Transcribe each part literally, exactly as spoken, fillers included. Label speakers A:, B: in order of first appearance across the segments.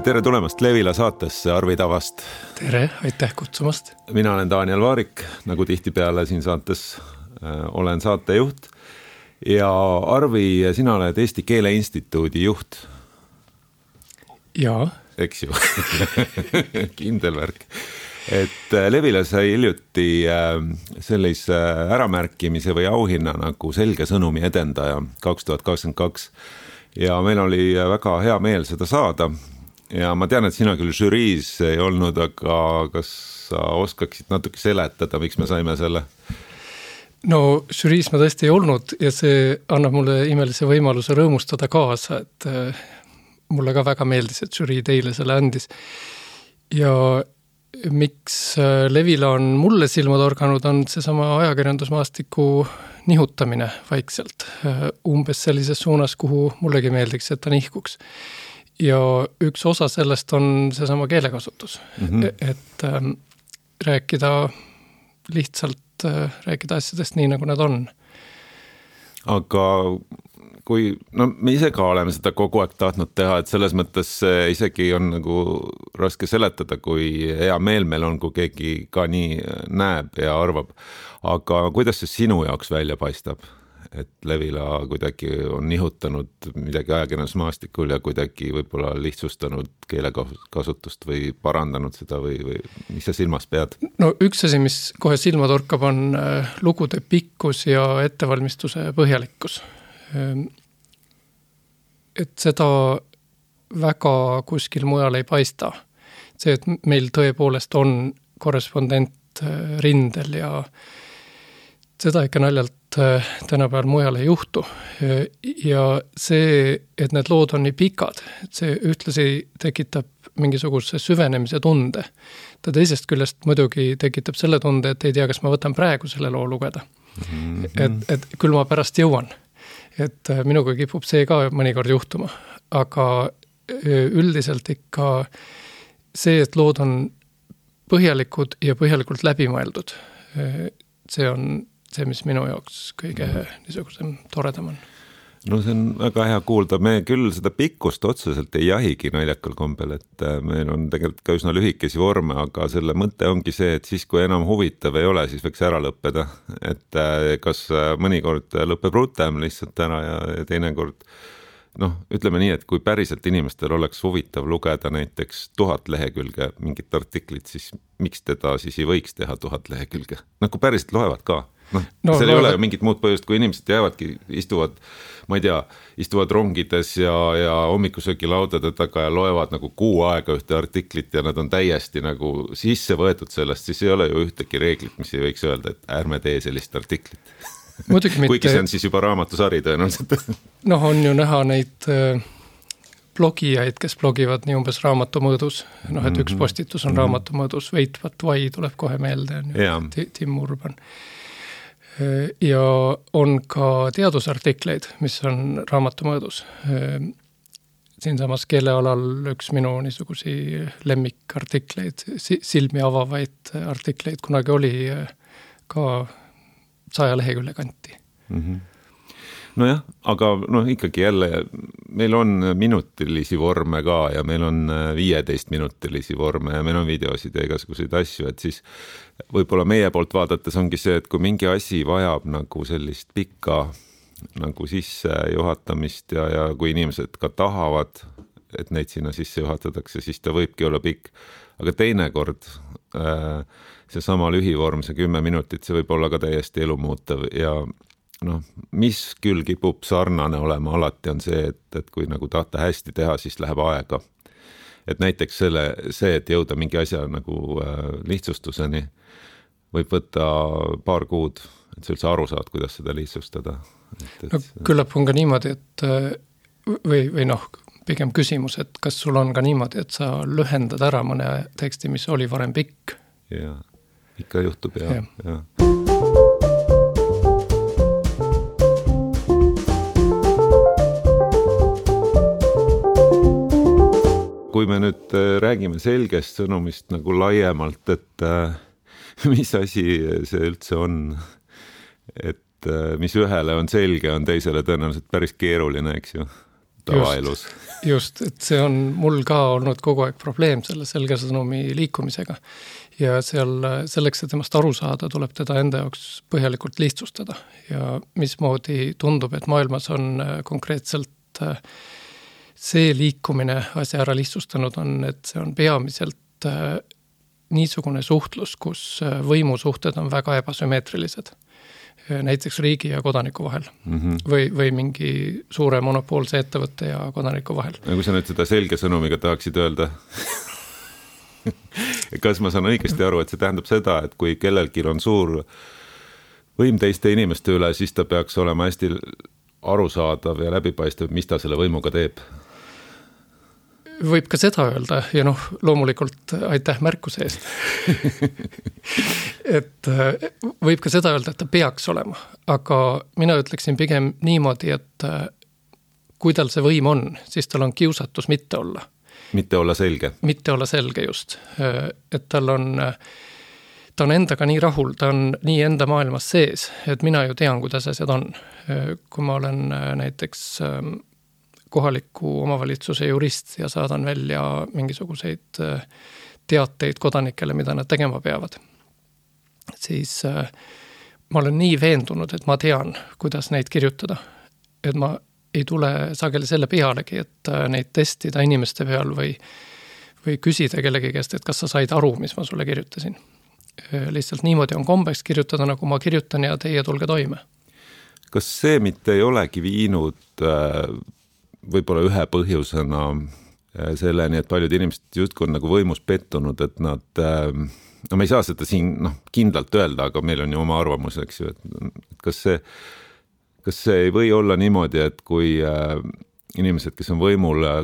A: Tere tulemast Levila saatesse Arvi Tavast.
B: Tere, aitäh kutsumast.
A: Mina olen Daniel Vaarik, nagu tihtipeale siin saates äh, olen saatejuht. Ja Arvi, sina oled Eesti Keele Instituudi juht.
B: Jaa.
A: Eks ju. Kindel värk. Et Levila sai hiljuti äh, sellise äramärkimise või auhinna nagu selge sõnumi edendaja kaks tuhat kakskümmend kaks. Ja meil oli väga hea meel seda saada. Ja ma tean, et sina küll žüriis ei olnud, aga kas sa oskaksid natuke seletada, miks me saime selle?
B: No žüriis ma tõesti ei olnud ja see annab mulle imelise võimaluse rõõmustada kaasa, et äh, mulle ka väga meeldis, et žürii teile selle andis. Ja miks Levila on mulle silma torganud, on seesama ajakirjandusmaastiku nihutamine vaikselt. Umbes sellises suunas, kuhu mullegi meeldiks, et ta nihkuks. Ja üks osa sellest on seesama keelekasutus. Mm-hmm. Et ähm, rääkida lihtsalt, äh, rääkida asjadest nii, nagu nad on.
A: Aga kui, no me ise ka oleme seda kogu aeg tahtnud teha, et selles mõttes isegi on nagu raske seletada, kui hea meel meil on, kui keegi ka nii näeb ja arvab. Aga kuidas see sinu jaoks välja paistab, et Levila kuidagi on nihutanud midagi ajakirjandusmaastikul ja kuidagi võib-olla lihtsustanud keelekasutust või parandanud seda või, või mis sa silmas pead?
B: No üks asi, mis kohe silma torkab, on lugude pikkus ja ettevalmistuse põhjalikkus. Et seda väga kuskil mujal ei paista. See, et meil tõepoolest on korrespondent rindel ja seda ikka naljalt tänapäeval mujal ei juhtu. Ja see, et need lood on nii pikad, et see ühtlasi tekitab mingisuguse süvenemise tunde. Ta teisest küljest muidugi tekitab selle tunde, et ei tea, kas ma võtan praegu selle loo lugeda. Mm-hmm. Et, et küll ma pärast jõuan. Et minuga kipub see ka mõnikord juhtuma, aga üldiselt ikka see, et lood on põhjalikud ja põhjalikult läbimõeldud, see on see, mis minu jaoks kõige niisugusem toredam on.
A: No see on väga hea kuulda. Me küll seda pikkust otseselt ei jahigi naljakal kombel, et meil on tegelikult ka üsna lühikesi vorme, aga selle mõte ongi see, et siis kui enam huvitav ei ole, siis võiks ära lõppeda. Et kas mõnikord lõpeb rutem lihtsalt ära ja teinekord, noh, ütleme nii, et kui päriselt inimestel oleks huvitav lugeda näiteks tuhat lehekülge mingit artiklit, siis miks teda siis ei võiks teha tuhat lehekülge? No kui päriselt loevad ka. No, no, seal ei ole ju mingit muud põhjust, kui inimesed jäävadki, istuvad, ma ei tea, istuvad rongides ja, ja hommikusöögi laudade taga ja loevad nagu kuu aega ühte artiklit ja nad on täiesti nagu sisse võetud sellest, siis ei ole ju ühtegi reeglit, mis ei võiks öelda, et ärme tee sellist artiklit. Kuigi see on siis juba raamatusari tõenäoliselt.
B: Noh, on ju näha neid blogijaid, kes blogivad nii umbes raamatumõõdus. Noh, et üks postitus on mm-hmm. raamatumõõdus, Veitvat vai tuleb kohe meelde, on ju, Tim Urban. Ja on ka teadusartikleid, mis on raamatumõõdus. Siin samas keelealal üks minu niisugusi lemmikartikleid, silmi avavaid artikleid kunagi oli ka saja lehekülje kanti. Mm-hmm.
A: Nojah, aga no ikkagi jälle meil on minutilisi vorme ka ja meil on viieteist minutilisi vorme ja meil on videosid ja igasuguseid asju, et siis võib-olla meie poolt vaadates ongi see, et kui mingi asi vajab nagu sellist pikka nagu sisse juhatamist ja, ja kui inimesed ka tahavad, et neid sinna sisse juhatatakse, siis ta võibki olla pikk, aga teinekord äh, see sama lühivorm, see kümme minutit, see võib olla ka täiesti elumuutev ja noh, mis küll kipub sarnane olema alati on see, et, et kui nagu tahta hästi teha, siis läheb aega. Et näiteks selle, see, et jõuda mingi asja nagu äh, lihtsustuseni võib võtta paar kuud, et sa üldse aru saad, kuidas seda lihtsustada. Et, et...
B: No, küllap on ka niimoodi, et või, või noh, pigem küsimus, et kas sul on ka niimoodi, et sa lühendad ära mõne teksti, mis oli varem pikk?
A: Ja, ikka juhtub ja, ja. ja. Kui me nüüd räägime selgest sõnumist nagu laiemalt, et äh, mis asi see üldse on, et äh, mis ühele on selge, on teisele tõenäoliselt päris keeruline, eks ju. tavaelus.
B: Just, just, et see on mul ka olnud kogu aeg probleem selle selge sõnumi liikumisega. Ja seal selleks, et temast aru saada, tuleb teda enda jaoks põhjalikult lihtsustada. Ja mismoodi tundub, et maailmas on konkreetselt see liikumine asja ära lihtsustanud on, et see on peamiselt niisugune suhtlus, kus võimusuhted on väga ebasümmeetrilised. Näiteks riigi ja kodaniku vahel mm-hmm. või, või mingi suure monopoolse ettevõtte ja kodaniku vahel.
A: Ja kui sa nüüd seda selge sõnumiga tahaksid öelda, kas ma saan õigesti aru, et see tähendab seda, et kui kellelgi on suur võim teiste inimeste üle, siis ta peaks olema hästi arusaadav ja läbipaistev, mis ta selle võimuga teeb?
B: Võib ka seda öelda ja noh, loomulikult aitäh märkuse eest. et võib ka seda öelda, et ta peaks olema, aga mina ütleksin pigem niimoodi, et kui tal see võim on, siis tal on kiusatus mitte olla.
A: Mitte olla selge.
B: Mitte olla selge just. Et tal on, ta on endaga nii rahul, ta on nii enda maailmas sees, et mina ju tean, kuidas asjad on. Kui ma olen näiteks kohaliku omavalitsuse jurist ja saadan välja mingisuguseid teateid kodanikele, mida nad tegema peavad, siis ma olen nii veendunud, et ma tean, kuidas neid kirjutada. Et ma ei tule sageli selle pealegi, et neid testida inimeste peal või, või küsida kellegi käest, et kas sa said aru, mis ma sulle kirjutasin. Lihtsalt niimoodi on kombeks kirjutada, nagu ma kirjutan ja teie tulge toime.
A: Kas see mitte ei olegi viinud võib-olla ühe põhjusena selleni, et paljud inimesed justkui on nagu võimus pettunud, et nad, no me ei saa seda siin no, kindlalt öelda, aga meil on ju oma arvamus, eks ju, et kas see Kas see ei või olla niimoodi, et kui äh, inimesed, kes on võimul äh,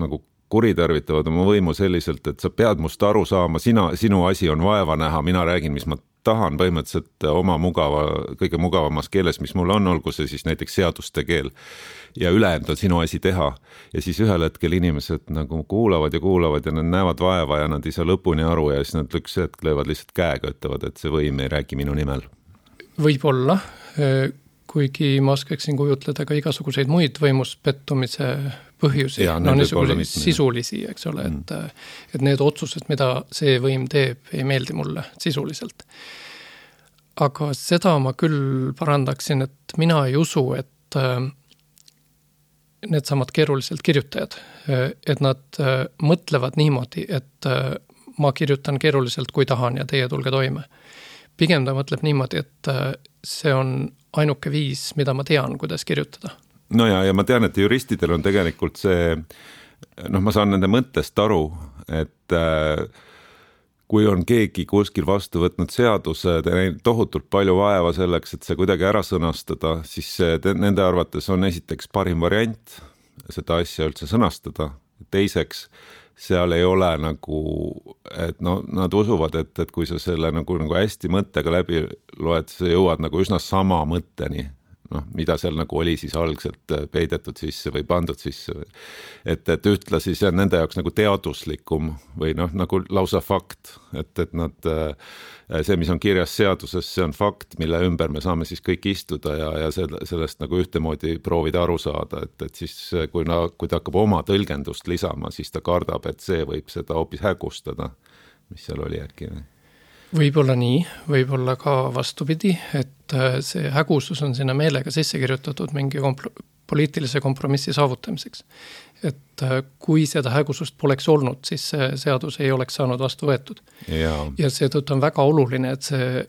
A: nagu kuritarvitavad oma võimu selliselt, et sa pead must aru saama, sina, sinu asi on vaeva näha, mina räägin, mis ma tahan põhimõtteliselt oma mugava, kõige mugavamas keeles, mis mul on, olgu see siis näiteks seaduste keel ja ülejäänud on sinu asi teha. Ja siis ühel hetkel inimesed nagu kuulavad ja kuulavad ja nad näevad vaeva ja nad ei saa lõpuni aru ja siis nad üks hetk löövad lihtsalt käega, ütlevad, et see võim ei räägi minu nimel.
B: Võib-olla kuigi ma oskaksin kujutleda ka igasuguseid muid võimuspettumise põhjusi, ja, no niisuguseid sisulisi, eks ole, mm. et, et need otsused, mida see võim teeb, ei meeldi mulle sisuliselt. Aga seda ma küll parandaksin, et mina ei usu, et need samad keeruliselt kirjutajad, et nad mõtlevad niimoodi, et ma kirjutan keeruliselt, kui tahan ja teie tulge toime. Pigem ta mõtleb niimoodi, et see on ainuke viis, mida ma tean, kuidas kirjutada.
A: No ja, ja ma tean, et juristidel on tegelikult see, noh, ma saan nende mõttest aru, et äh, kui on keegi kuskil vastu võtnud seaduse, tohutult palju vaeva selleks, et see kuidagi ära sõnastada, siis see, nende arvates on esiteks parim variant seda asja üldse sõnastada. Teiseks, seal ei ole nagu, et no, nad usuvad, et, et kui sa selle nagu, nagu hästi mõttega läbi loed, sa jõuad nagu üsna sama mõtteni, noh, mida seal nagu oli siis algselt peidetud sisse või pandud sisse. Et, et ühtlasi see on nende jaoks nagu teaduslikum või noh, nagu lausa fakt, et, et nad, see, mis on kirjas seaduses, see on fakt, mille ümber me saame siis kõik istuda ja, ja sellest nagu ühtemoodi proovida aru saada, et, et siis kui, na, kui ta hakkab oma tõlgendust lisama, siis ta kardab, et see võib seda hoopis hägustada, mis seal oli äkki.
B: Võib-olla nii, võib-olla ka vastupidi, et see hägusus on sinna meelega sisse kirjutatud mingi kompl- poliitilise kompromissi saavutamiseks. Et kui seda hägusust poleks olnud, siis see seadus ei oleks saanud vastu võetud. Ja, ja seetõttu on väga oluline, et see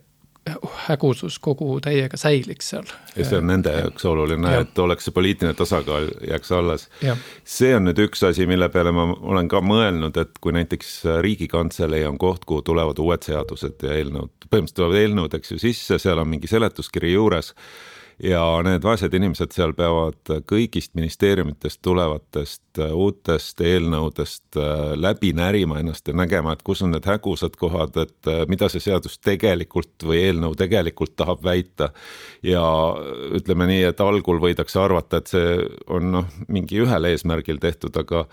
B: hägusus kogu täiega säiliks seal.
A: Ja see on nende jaoks oluline, ja. Et oleks see poliitiline tasakaal jääks alles. Ja. See on nüüd üks asi, mille peale ma olen ka mõelnud, et kui näiteks Riigikantselei on koht, kuhu tulevad uued seadused ja eelnõud, põhimõtteliselt tulevad eelnõud, eks ju sisse, seal on mingi seletuskiri juures ja need vaesed inimesed seal peavad kõigist ministeeriumitest tulevatest uutest eelnõudest läbi närima ennast ja nägema, et kus on need hägusad kohad, et mida see seadus tegelikult või eelnõu tegelikult tahab väita. Ja ütleme nii, et algul võidakse arvata, et see on noh, mingi ühel eesmärgil tehtud, aga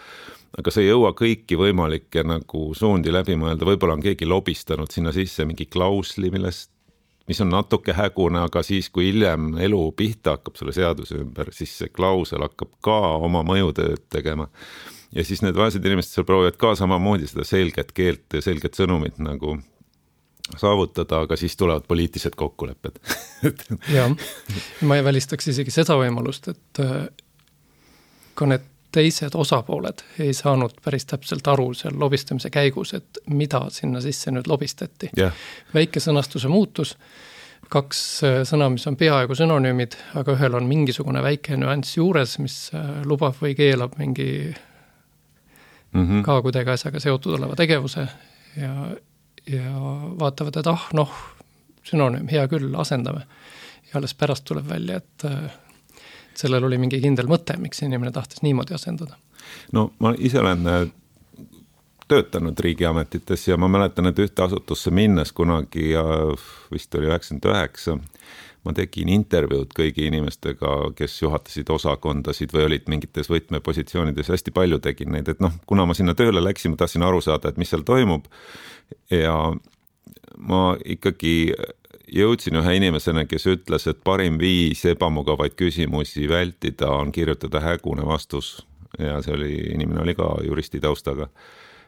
A: aga see ei jõua kõiki võimalikke nagu suundi läbi mõelda. Võib-olla on keegi lobistanud sinna sisse mingi klausli, millest mis on natuke hägune, aga siis, kui hiljem elu pihta hakkab selle seaduse ümber, siis see klausel hakkab ka oma mõjutööd tegema. Ja siis need vaesed inimesed seal proovivad ka samamoodi seda selget keelt ja selget sõnumit nagu saavutada, aga siis tulevad poliitilised kokkulepped.
B: Jah, ma ei välistaks isegi seda võimalust, et ka need teised osapooled ei saanud päris täpselt aru seal lobistamise käigus, et mida sinna sisse nüüd lobistati.
A: Yeah.
B: Väike sõnastuse muutus, kaks sõna, mis on peaaegu synonüümid, aga ühel on mingisugune väike nüanss juures, mis lubab või keelab mingi mm-hmm. ka kuidagi asjaga seotud oleva tegevuse ja ja vaatavad, et ah, noh, synonüüm, hea küll, asendame. Ja alles pärast tuleb välja, et sellel oli mingi kindel mõte, miks inimene tahtis niimoodi asendada.
A: No ma ise olen töötanud riigiametites ja ma mäletan, et ühte asutusse minnes kunagi ja vist oli üheksakümmend üheksa, ma tegin intervjuud kõigi inimestega, kes juhatasid osakondasid või olid mingites võtmepositsioonides, hästi palju tegin neid, et noh, kuna ma sinna tööle läksin, ma tahtsin aru saada, et mis seal toimub ja ma ikkagi jõudsin ühe inimesena, kes ütles, et parim viis ebamugavaid küsimusi vältida on kirjutada hägune vastus ja see oli, inimene oli ka juristi taustaga.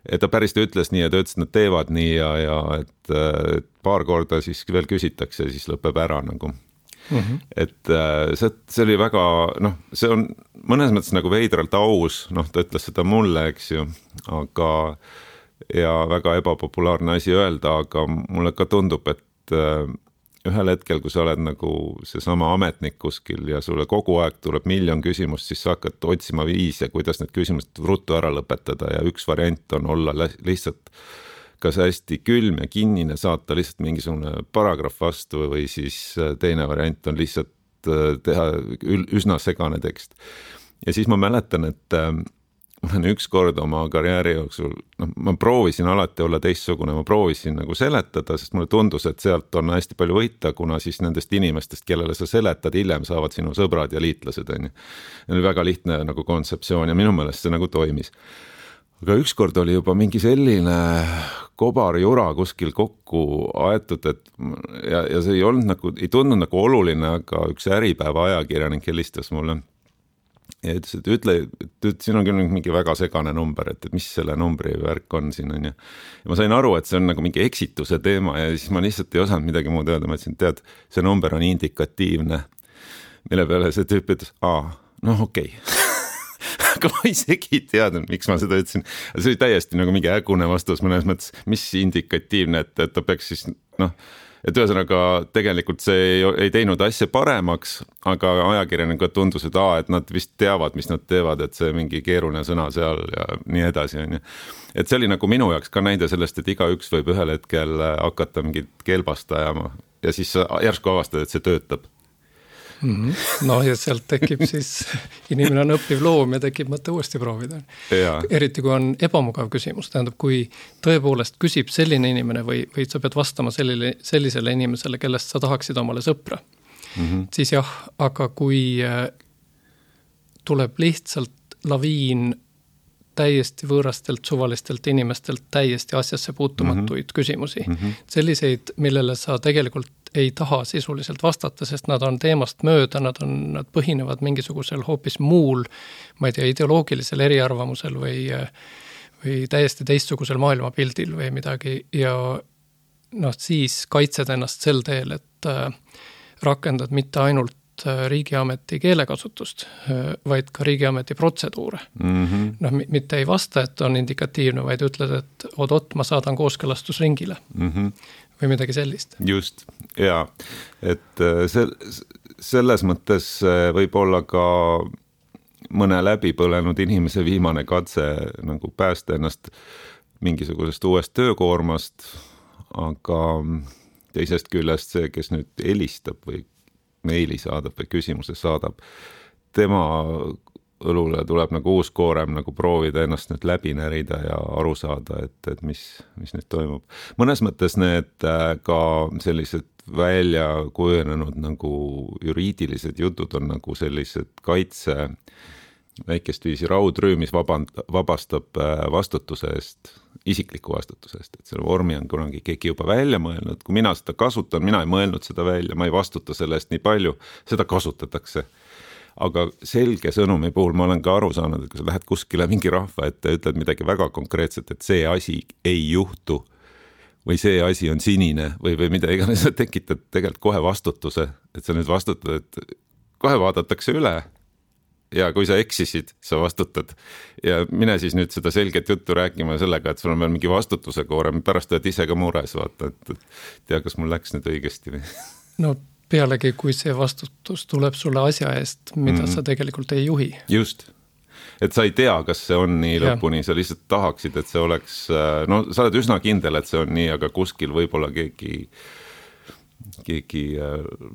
A: Et ta päris ütles nii ja ta ütles, et nad teevad nii ja, ja et, et paar korda siis veel küsitakse ja siis lõpeb ära nagu. Mm-hmm. Et see, see oli väga, noh, see on mõnes mõttes nagu veidralt aus, noh, ta ütles seda mulle, eks ju, aga ja väga ebapopulaarne asi öelda, aga mulle ka tundub, et ühel hetkel, kui sa oled nagu seesama ametnik kuskil ja sulle kogu aeg tuleb miljon küsimust, siis sa hakkad otsima viise, kuidas need küsimused ruttu ära lõpetada ja üks variant on olla lihtsalt kas hästi külm ja kinnine, saata lihtsalt mingisugune paragrahv vastu või siis teine variant on lihtsalt teha üsna segane tekst. Ja siis ma mäletan, et ma olen üks kord oma karjääri jooksul, no, ma proovisin alati olla teistsugune, ma proovisin nagu seletada, sest mulle tundus, et sealt on hästi palju võita, kuna siis nendest inimestest, kellele sa seletad, hiljem saavad sinu sõbrad ja liitlased. On. Oli väga lihtne nagu kontseptsioon ja minu meelest see nagu toimis. Aga ükskord oli juba mingi selline kobarjura kuskil kokku aetud, et ja, ja see ei olnud nagu, ei tundunud nagu oluline, aga üks Äripäeva ajakirjanik helistas mulle ja ütles, et ütle, et siin on küll mingi väga segane number, et, et mis selle numbri värk on siin on ja, ja ma sain aru, et see on nagu mingi eksituse teema ja siis ma lihtsalt ei osanud midagi muud öelda, ma ütlesin, tead, see number on indikatiivne, mille peale see tüüp ütles, aa, noh okei okay. Aga ma isegi ei teadnud, miks ma seda ütlesin. See oli täiesti nagu mingi ägune vastus mõnes mõttes, mis indikatiivne, et, et ta peaks siis, noh, et ühesõnaga tegelikult see ei, ei teinud asja paremaks, aga ajakirjanikud tundus, et, aa, et nad vist teavad, mis nad teevad, et see mingi keeruline sõna seal ja nii edasi. On. Et see oli nagu minu jaoks ka näide sellest, et igaüks võib ühel hetkel hakata mingit keelbast ajama ja siis järsku avastada, et see töötab.
B: Mm-hmm. No ja sealt tekib siis, inimene on õppiv loom ja tekib mõte uuesti proovida. Ja. Eriti kui on ebamugav küsimus, tähendab, kui tõepoolest küsib selline inimene või, või sa pead vastama sellile, sellisele inimesele, kellest sa tahaksid omale sõpra, mm-hmm. siis jah, aga kui tuleb lihtsalt laviin täiesti võõrastelt suvalistelt inimestelt täiesti asjasse puutumatuid mm-hmm. küsimusi, mm-hmm. selliseid, millele sa tegelikult ei taha sisuliselt vastata, sest nad on teemast mööda, nad, on, nad põhinevad mingisugusel hoopis muul, ma ei tea, ideoloogilisel eriarvamusel või, või täiesti teistsugusel maailmapildil või midagi ja noh, siis kaitsed ennast sel teel, et rakendad mitte ainult riigiameti keelekasutust, vaid ka riigiameti protseduure. Mm-hmm. Noh, mitte ei vasta, et on indikatiivne, vaid ütled, et oot-oot, ma saadan kooskõlastusringile. Mm-hmm. Või midagi sellist.
A: Just, jaa. Et selles mõttes võib olla ka mõne läbi põlenud inimese viimane katse nagu päästa ennast mingisugusest uuest töökoormast, aga teisest küljest see, kes nüüd helistab või meili saadab või küsimuse saadab, tema õlule tuleb nagu uus koorem nagu proovida ennast nüüd läbi närida ja aru saada, et, et mis, mis nüüd toimub. Mõnes mõttes need ka sellised välja kujunenud nagu juriidilised jutud on nagu sellised kaitse väikest viisi raudrüü, mis vaband, vabastab vastutuse eest, isikliku vastutuse eest, et selle vormi on kunagi keegi juba välja mõelnud, kui mina seda kasutan, mina ei mõelnud seda välja, ma ei vastuta selle eest nii palju, seda kasutatakse. Aga selge sõnumi puhul ma olen ka aru saanud, et kui sa lähed kuskile mingi rahva ette ja ütled midagi väga konkreetset, et see asi ei juhtu või see asi on sinine või, või mida iganes, sa tekitad tegelikult kohe vastutuse, et sa nüüd vastutad, et kohe vaadatakse üle ja kui sa eksisid, sa vastutad ja mine siis nüüd seda selget juttu rääkima sellega, et sul on veel mingi vastutuse koorem, pärast oled ise ka mures, vaata, et tea, kas mul läks nüüd õigesti või?
B: No pealegi, kui see vastutus tuleb sulle asja eest, mida mm-hmm. sa tegelikult ei juhi.
A: Just, et sa ei tea, kas see on nii lõpuni, sa lihtsalt tahaksid, et see oleks, no sa oled üsna kindel, et see on nii, aga kuskil võib-olla keegi, keegi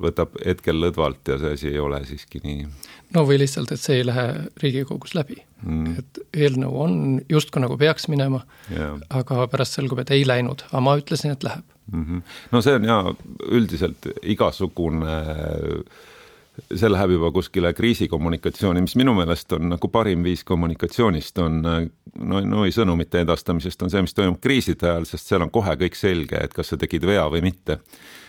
A: võtab hetkel lõdvalt ja see asi ei ole siiski nii.
B: No või lihtsalt, et see ei lähe Riigikogus läbi. Mm. Et eelnõu on justkui nagu peaks minema, yeah. aga pärast selgub, et ei läinud, aga ma ütlesin, et läheb.
A: Mm-hmm. No see on ja üldiselt igasugune, see läheb juba kuskile kriisikommunikatsiooni, mis minu meelest on nagu parim viis kommunikatsioonist on, no, no ei sõnumite edastamisest on see, mis toimub kriiside ajal, sest seal on kohe kõik selge, et kas sa tegid vea või mitte.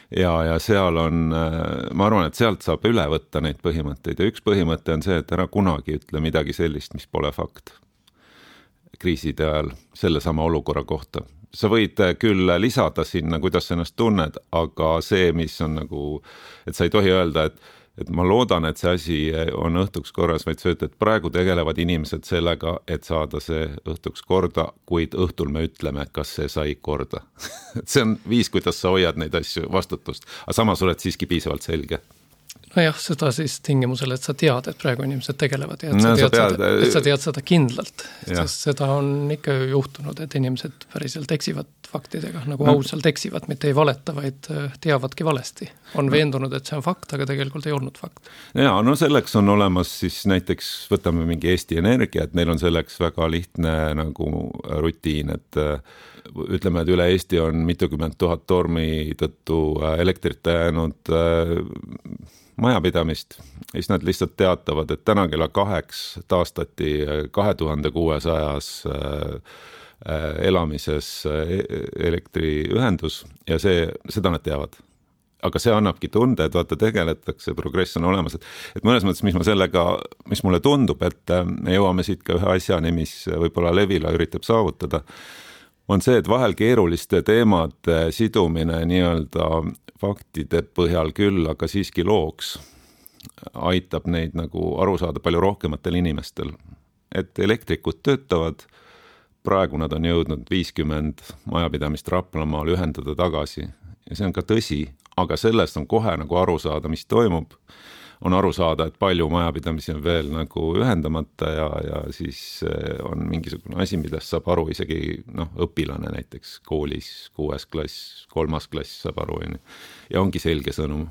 A: Ja, ja seal on, ma arvan, et sealt saab üle võtta neid põhimõtteid ja üks põhimõte on see, et ära kunagi ütle midagi sellist, mis pole fakt kriiside ajal selle sama olukorra kohta. Sa võid küll lisada sinna, kuidas sa ennast tunned, aga see, mis on nagu, et sa ei tohi öelda, et, et ma loodan, et see asi on õhtuks korras, vaid see, et praegu tegelevad inimesed sellega, et saada see õhtuks korda, kuid õhtul me ütleme, kas see sai korda. See on viis, kuidas sa hoiad neid asju vastutust, aga samas oled siiski piisavalt selge.
B: No jah, seda siis tingimusel, et sa tead, et praegu inimesed tegelevad ja et, no, sa, tead sa, seda, et sa tead seda kindlalt, sest seda on ikka juhtunud, et inimesed päriselt eksivad faktidega, nagu no. ausalt eksivad, mitte ei valeta, vaid teavadki valesti. On no. veendunud, et see on fakt, aga tegelikult ei olnud fakt.
A: Ja, no selleks on olemas siis näiteks, võtame mingi Eesti Energia, et neil on selleks väga lihtne nagu rutiin, et ütleme, et üle Eesti on mitukümmend tuhat tormi tõttu elektrit jäänud majapidamist, siis nad lihtsalt teatavad, et täna kella kaheks taastati kahe tuhande kuuesajas elamises elektriühendus ja see, seda nad teavad. Aga see annabki tunde, et vaata tegeletakse, progress on olemas, et, et mõnes mõttes, mis ma sellega, mis mulle tundub, et me jõuame siit ka ühe asjani, mis võib-olla Levila üritab saavutada, on see, et vahel keeruliste teemade sidumine nii-öelda faktide põhjal küll, aga siiski looks aitab neid nagu aru saada palju rohkematel inimestel. Et elektrikud töötavad, praegu nad on jõudnud viiskümmend majapidamist Raplamaal ühendada tagasi ja see on ka tõsi, aga sellest on kohe nagu aru saada, mis toimub. On aru saada, et palju majapidamisi on veel nagu ühendamata ja, ja siis on mingisugune asi, mida saab aru isegi noh, õpilane näiteks koolis, kuues klass, kolmas klass saab aru ja ongi selge sõnum.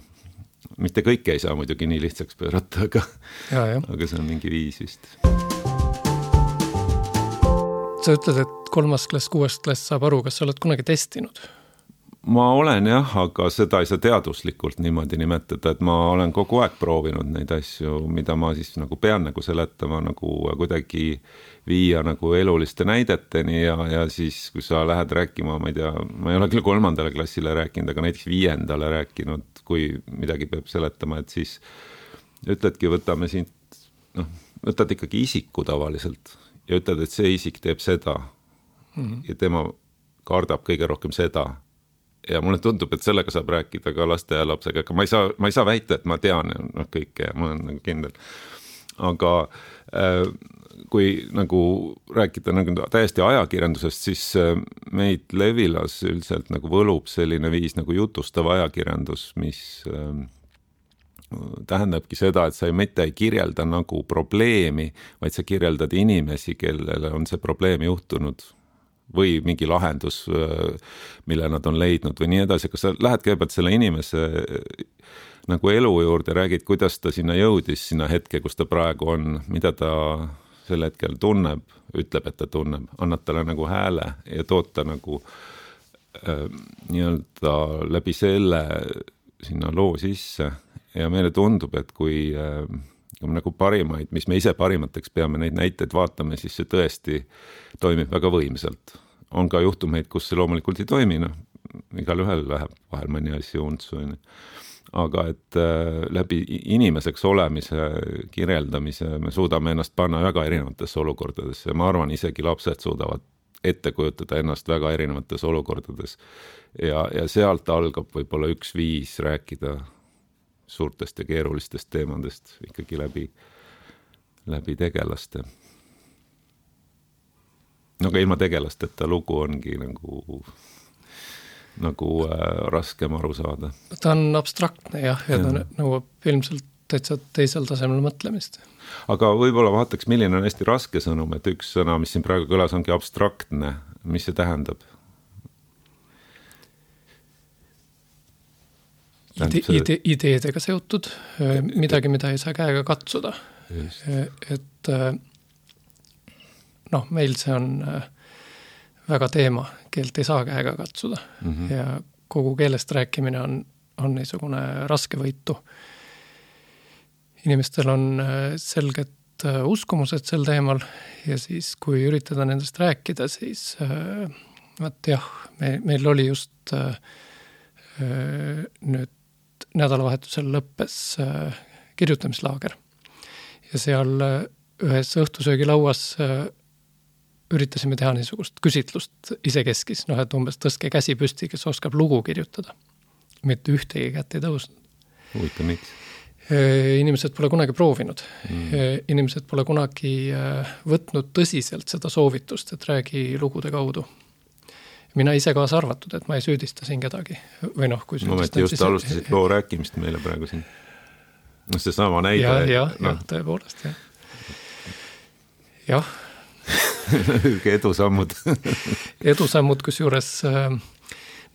A: Mitte kõike ei saa muidugi nii lihtsaks pöörata, aga,
B: ja, ja.
A: aga see on mingi viis vist.
B: Sa ütled, et kolmas klass, kuues klass saab aru, kas sa oled kunagi testinud?
A: Ma olen jah, aga seda ei saa teaduslikult niimoodi nimetada, et ma olen kogu aeg proovinud neid asju, mida ma siis nagu pean nagu seletama, nagu kuidagi viia nagu eluliste näideteni ja, ja siis, kui sa lähed rääkima, ma ei tea, ma ei ole küll kolmandale klassile rääkinud, aga näiteks viiendale rääkinud, kui midagi peab seletama, et siis ütledki, võtame siin, noh, võtad ikkagi isiku tavaliselt ja ütled, et see isik teeb seda mm-hmm. ja tema kardab kõige rohkem seda. Ja mulle tundub, et sellega saab rääkida ka laste ja lapsega, aga ma ei saa, ma ei saa väita, et ma tean no, kõike ja ma olen nagu kindel. Aga äh, kui nagu rääkida nagu täiesti ajakirjandusest, siis äh, meid Levilas üldiselt nagu võlub selline viis nagu jutustav ajakirjandus, mis äh, tähendabki seda, et sa ei mitte ei kirjelda nagu probleemi, vaid sa kirjeldad inimesi, kellele on see probleem juhtunud või mingi lahendus, mille nad on leidnud või nii edasi, kas sa lähed kõigepealt selle inimese nagu elu juurde, räägid, kuidas ta sinna jõudis, sinna hetke, kus ta praegu on, mida ta sel hetkel tunneb, ütleb, et ta tunneb, annad talle nagu hääle ja tood ta nagu äh, nii-öelda läbi selle sinna loo sisse ja meile tundub, et kui äh, kui me nagu parimaid, mis me ise parimateks peame, neid näiteid vaatame, siis see tõesti toimib väga võimsalt. On ka juhtumeid, kus see loomulikult ei toimi, noh, igal ühel läheb vahel mõni asi untsu, aga et äh, läbi inimeseks olemise, kirjeldamise me suudame ennast panna väga erinevatesse olukordadesse ja ma arvan, isegi lapsed suudavad ette kujutada ennast väga erinevates olukordades ja, ja sealt algab võib-olla üks viis rääkida suurtest ja keerulistest teemadest ikkagi läbi, läbi tegelaste. No aga ilma tegelasteta lugu ongi nagu, nagu äh, raskem aru saada.
B: Ta on abstraktne jah, ja ta nõuab ilmselt täitsa teisel tasemel mõtlemist.
A: Aga võib-olla vaataks, milline on hästi raske sõnum, et üks sõna, mis siin praegu kõlas, ongi abstraktne. Mis see tähendab?
B: Ide, ide, ideedega seotud, midagi, mida ei saa käega katsuda. Just. Et noh, meil see on väga teema, keelt ei saa käega katsuda mm-hmm. ja kogu keelest rääkimine on, on niisugune raske võitu. Inimestel on selged uskumused sel teemal ja siis, kui üritada nendest rääkida, siis vaat jah, me, meil oli just nüüd nädalavahetusel lõppes kirjutamislaager ja seal ühes õhtusöögilauas üritasime teha niisugust küsitlust isekeskis, noh, et umbes tõstke käsi püsti, kes oskab lugu kirjutada. Mitte ühtegi kätt ei tõusnud.
A: Huvitav, miks?
B: Inimesed pole kunagi proovinud. Mm. Inimesed pole kunagi võtnud tõsiselt seda soovitust, et räägi lugude kaudu. Mina ise kaasa arvatud, et ma ei süüdista siin kedagi. Või noh, kui
A: Moment, just siis... alustasid loo rääkimist meile praegu siin. No see sama näide.
B: Ja, ja, no. ja tõepoolest, jah. Jah.
A: Edusammud.
B: Edusammud, kus juures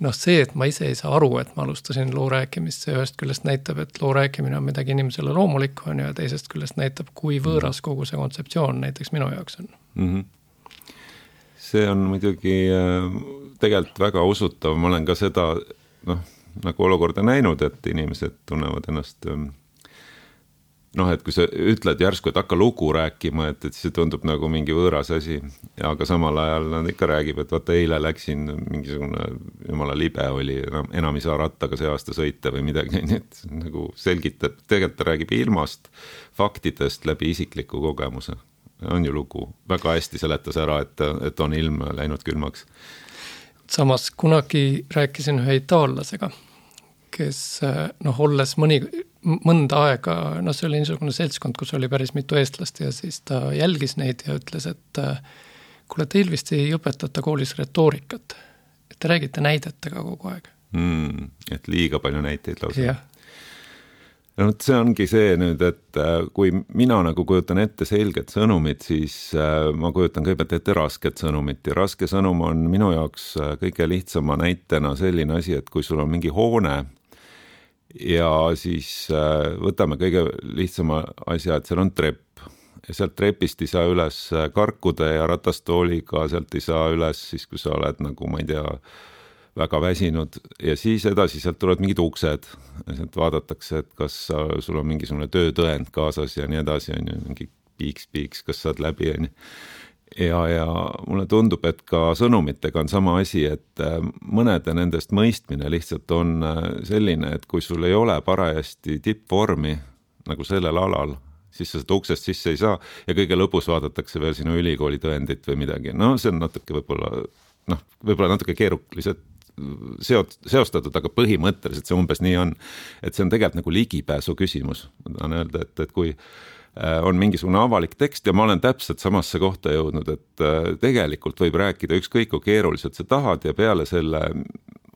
B: noh, see, et ma ise ei saa aru, et ma alustasin loo rääkimist, see ühest küljest näitab, et loo rääkimine on midagi inimesele loomulikku on ja teisest küljest näitab, kui võõras kogu see kontseptsioon näiteks minu jaoks on.
A: Mm-hmm. See on muidugi tegelikult väga usutav, ma olen ka seda noh, nagu olukorda näinud, et inimesed tunnevad ennast noh, et kui sa ütled järsku, et hakka lugu rääkima, et, et see tundub nagu mingi võõras asi, aga samal ajal nad ikka räägib, et vaata eile läksin mingisugune jumala libe oli, enam, enam ei saa rattaga see aasta sõita või midagi, nii et nagu selgitab, tegelikult ta räägib ilmast, faktidest läbi isikliku kogemuse. On ju lugu, väga hästi seletas ära, et, et on ilm läinud külmaks.
B: Samas kunagi rääkisin ühe itaallasega, kes noh, olles mõni mõnda aega, no see oli niisugune seltskond, kus oli päris mitu eestlast ja siis ta jälgis neid ja ütles, et kuule, teil vist ei õpetata koolis retoorikat, et te räägite näidetega kogu aeg.
A: Mm, et liiga palju näiteid lausa.
B: Jah.
A: No, see ongi see nüüd, et kui mina nagu kujutan ette selget sõnumit, siis ma kujutan kõigepealt ette rasket sõnumit ja raske sõnum on minu jaoks kõige lihtsama näitena selline asi, et kui sul on mingi hoone ja siis võtame kõige lihtsama asja, et seal on trepp ja sealt trepist ei saa üles karkuda ja ratastooliga sealt ei saa üles siis, kui sa oled nagu, ma ei tea, väga väsinud ja siis edasi sealt tulevad mingid uksed ja sealt vaadatakse, et kas sa, sul on mingisugune töötõend kaasas ja nii edasi, on ju, mingi piiks-piiks, kas saad läbi on ju. Ja, ja mulle tundub, et ka sõnumitega on sama asi, et mõnede nendest mõistmine lihtsalt on selline, et kui sul ei ole parajasti tippvormi nagu sellel alal, siis sa seda uksest sisse ei saa ja kõige lõpus vaadatakse veel sinu ülikooli tõendit või midagi. No see on natuke võib-olla, noh, võib-olla natuke keeruliselt seot, seostatud, aga põhimõtteliselt see umbes nii on, et see on tegelikult nagu ligipääsu küsimus. Ma tahan öelda, et, et kui on mingisugune avalik tekst ja ma olen täpselt samasse kohta jõudnud, et tegelikult võib rääkida ükskõik kui keeruliselt sa tahad ja peale selle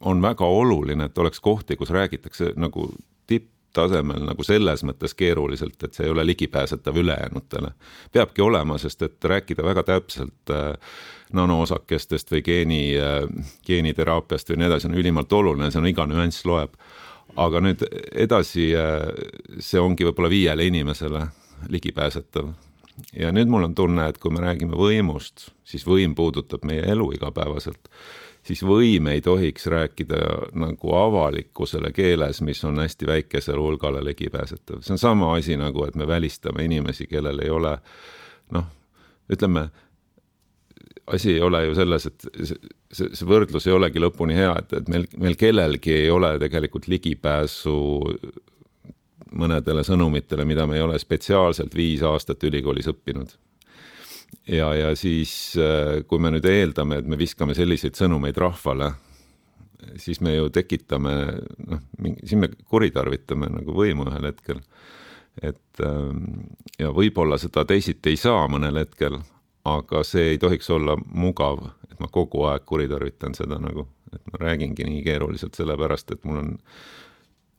A: on väga oluline, et oleks kohti, kus räägitakse nagu tipptasemel nagu selles mõttes keeruliselt, et see ei ole ligipääsetav ülejäänutele. Peabki olema, sest et rääkida väga täpselt nanoosakestest või geeni, geeniteraapiast või nii edasi on ülimalt oluline, see on iga nüanss loeb. Aga nüüd edasi see ongi võib-olla viiele inimesele ligipääsetav. Ja nüüd mul on tunne, et kui me räägime võimust, siis võim puudutab meie elu igapäevaselt. siis või me ei tohiks rääkida nagu avalikkusele keeles, mis on hästi väikesele hulgale ligipääsetav. See on sama asi nagu, et me välistame inimesi, kellel ei ole, noh, ütleme, asi ei ole ju selles, et see, see võrdlus ei olegi lõpuni hea, et, et meil, meil kellelgi ei ole tegelikult ligipääsu mõnedele sõnumitele, mida me ei ole spetsiaalselt viis aastat ülikoolis õppinud. Ja, ja siis, kui me nüüd eeldame, et me viskame selliseid sõnumeid rahvale, siis me ju tekitame, noh, siin me kuritarvitame nagu võimu ühel hetkel. Et, ja võib-olla seda teisiti ei saa mõnel hetkel, aga see ei tohiks olla mugav, et ma kogu aeg kuritarvitan seda nagu, et ma räägingi nii keeruliselt sellepärast, et mul on,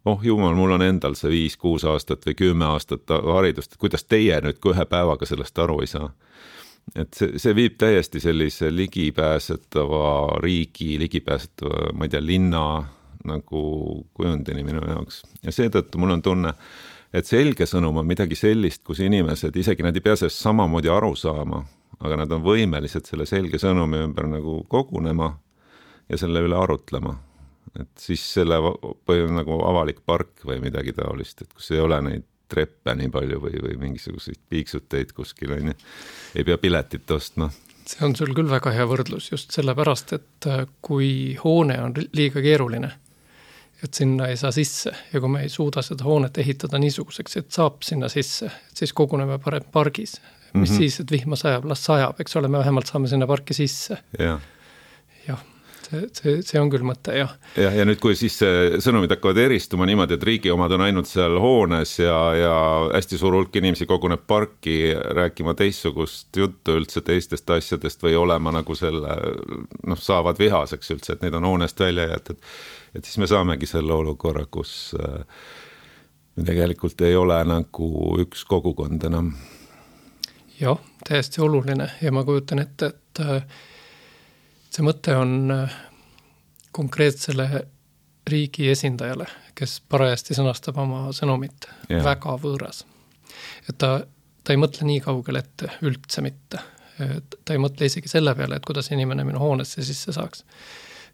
A: oh jumal, mul on endal see viis, kuus aastat või kümme aastat haridust, et kuidas teie nüüd ühe päevaga sellest aru ei saa. Et see, see viib täiesti sellise ligipääsetava riigi, ligipääsetava, ma ei tea, linna nagu kujundini minu jaoks. Ja seetõttu mul on tunne, et selge sõnum on midagi sellist, kus inimesed, isegi nad ei pea sellest samamoodi aru saama, aga nad on võimelised selle selge sõnumi ümber nagu kogunema ja selle üle arutlema. Et siis selle põhjus nagu avalik park või midagi taolist, et kus ei ole neid treppe nii palju või, või mingisuguseid piiksuteid kuskil, on, ei pea piletit ostma.
B: See on sul küll väga hea võrdlus just sellepärast, et kui hoone on liiga keeruline, et sinna ei saa sisse ja kui me ei suuda seda hoonet ehitada niisuguseks, et saab sinna sisse, et siis koguneme parem pargis. Mis mm-hmm. siis, et vihma sajab, las sajab, eks ole, me vähemalt saame sinna parki sisse.
A: Ja.
B: Jah, see, see, see on küll mõte, jah.
A: Ja, ja nüüd, kui siis sõnumid hakkavad eristuma niimoodi, et riigi omad on ainult seal hoones ja, ja hästi suur hulk inimesi koguneb parki rääkima teistsugust juttu üldse teistest asjadest või olema nagu selle, noh, saavad vihaseks üldse, et need on hoonest välja jäetud. Et siis me saamegi selle olukorra, kus tegelikult ei ole nagu üks kogukond enam.
B: Jah, täiesti oluline ja ma kujutan ette, et see mõte on konkreetsele riigi esindajale, kes parajasti sõnastab oma sõnumit ja. Väga võõras. Et ta, ta ei mõtle nii kaugel ette üldse mitte. Ta ei mõtle isegi selle peale, et kuidas inimene minu hoonesse sisse saaks.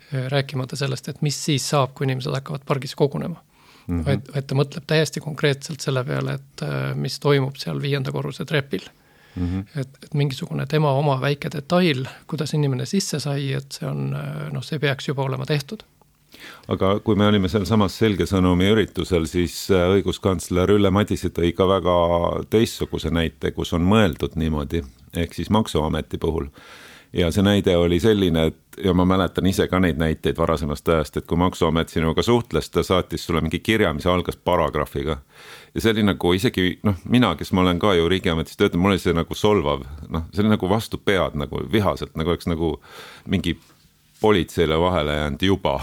B: Rääkimata sellest, et mis siis saab, kui inimesed hakkavad pargis kogunema. Mm-hmm. Vaid, vaid ta mõtleb täiesti konkreetselt selle peale, et mis toimub seal viienda korruse trepil. Mm-hmm. Et, et mingisugune tema oma väike detail, kuidas inimene sisse sai, et see on, noh, see peaks juba olema tehtud.
A: Aga kui me olime seal samas selge sõnumi üritusel, siis õiguskantsler Ülle Madise tõi ka väga teistsuguse näite, kus on mõeldud niimoodi, ehk siis Maksuameti puhul. Ja see näide oli selline, et ja ma mäletan ise ka neid näiteid varasemast ajast, et kui Maksuamet sinuga suhtles, ta saatis sulle mingi kirja, mis algas paragrahviga. Ja see oli nagu isegi, noh, mina, kes ma olen ka ju riigiametis töötanud, mul oli see nagu solvav, noh, see oli nagu vastu pead, nagu vihaselt, nagu oleks nagu mingi politseile vahele jäänud juba.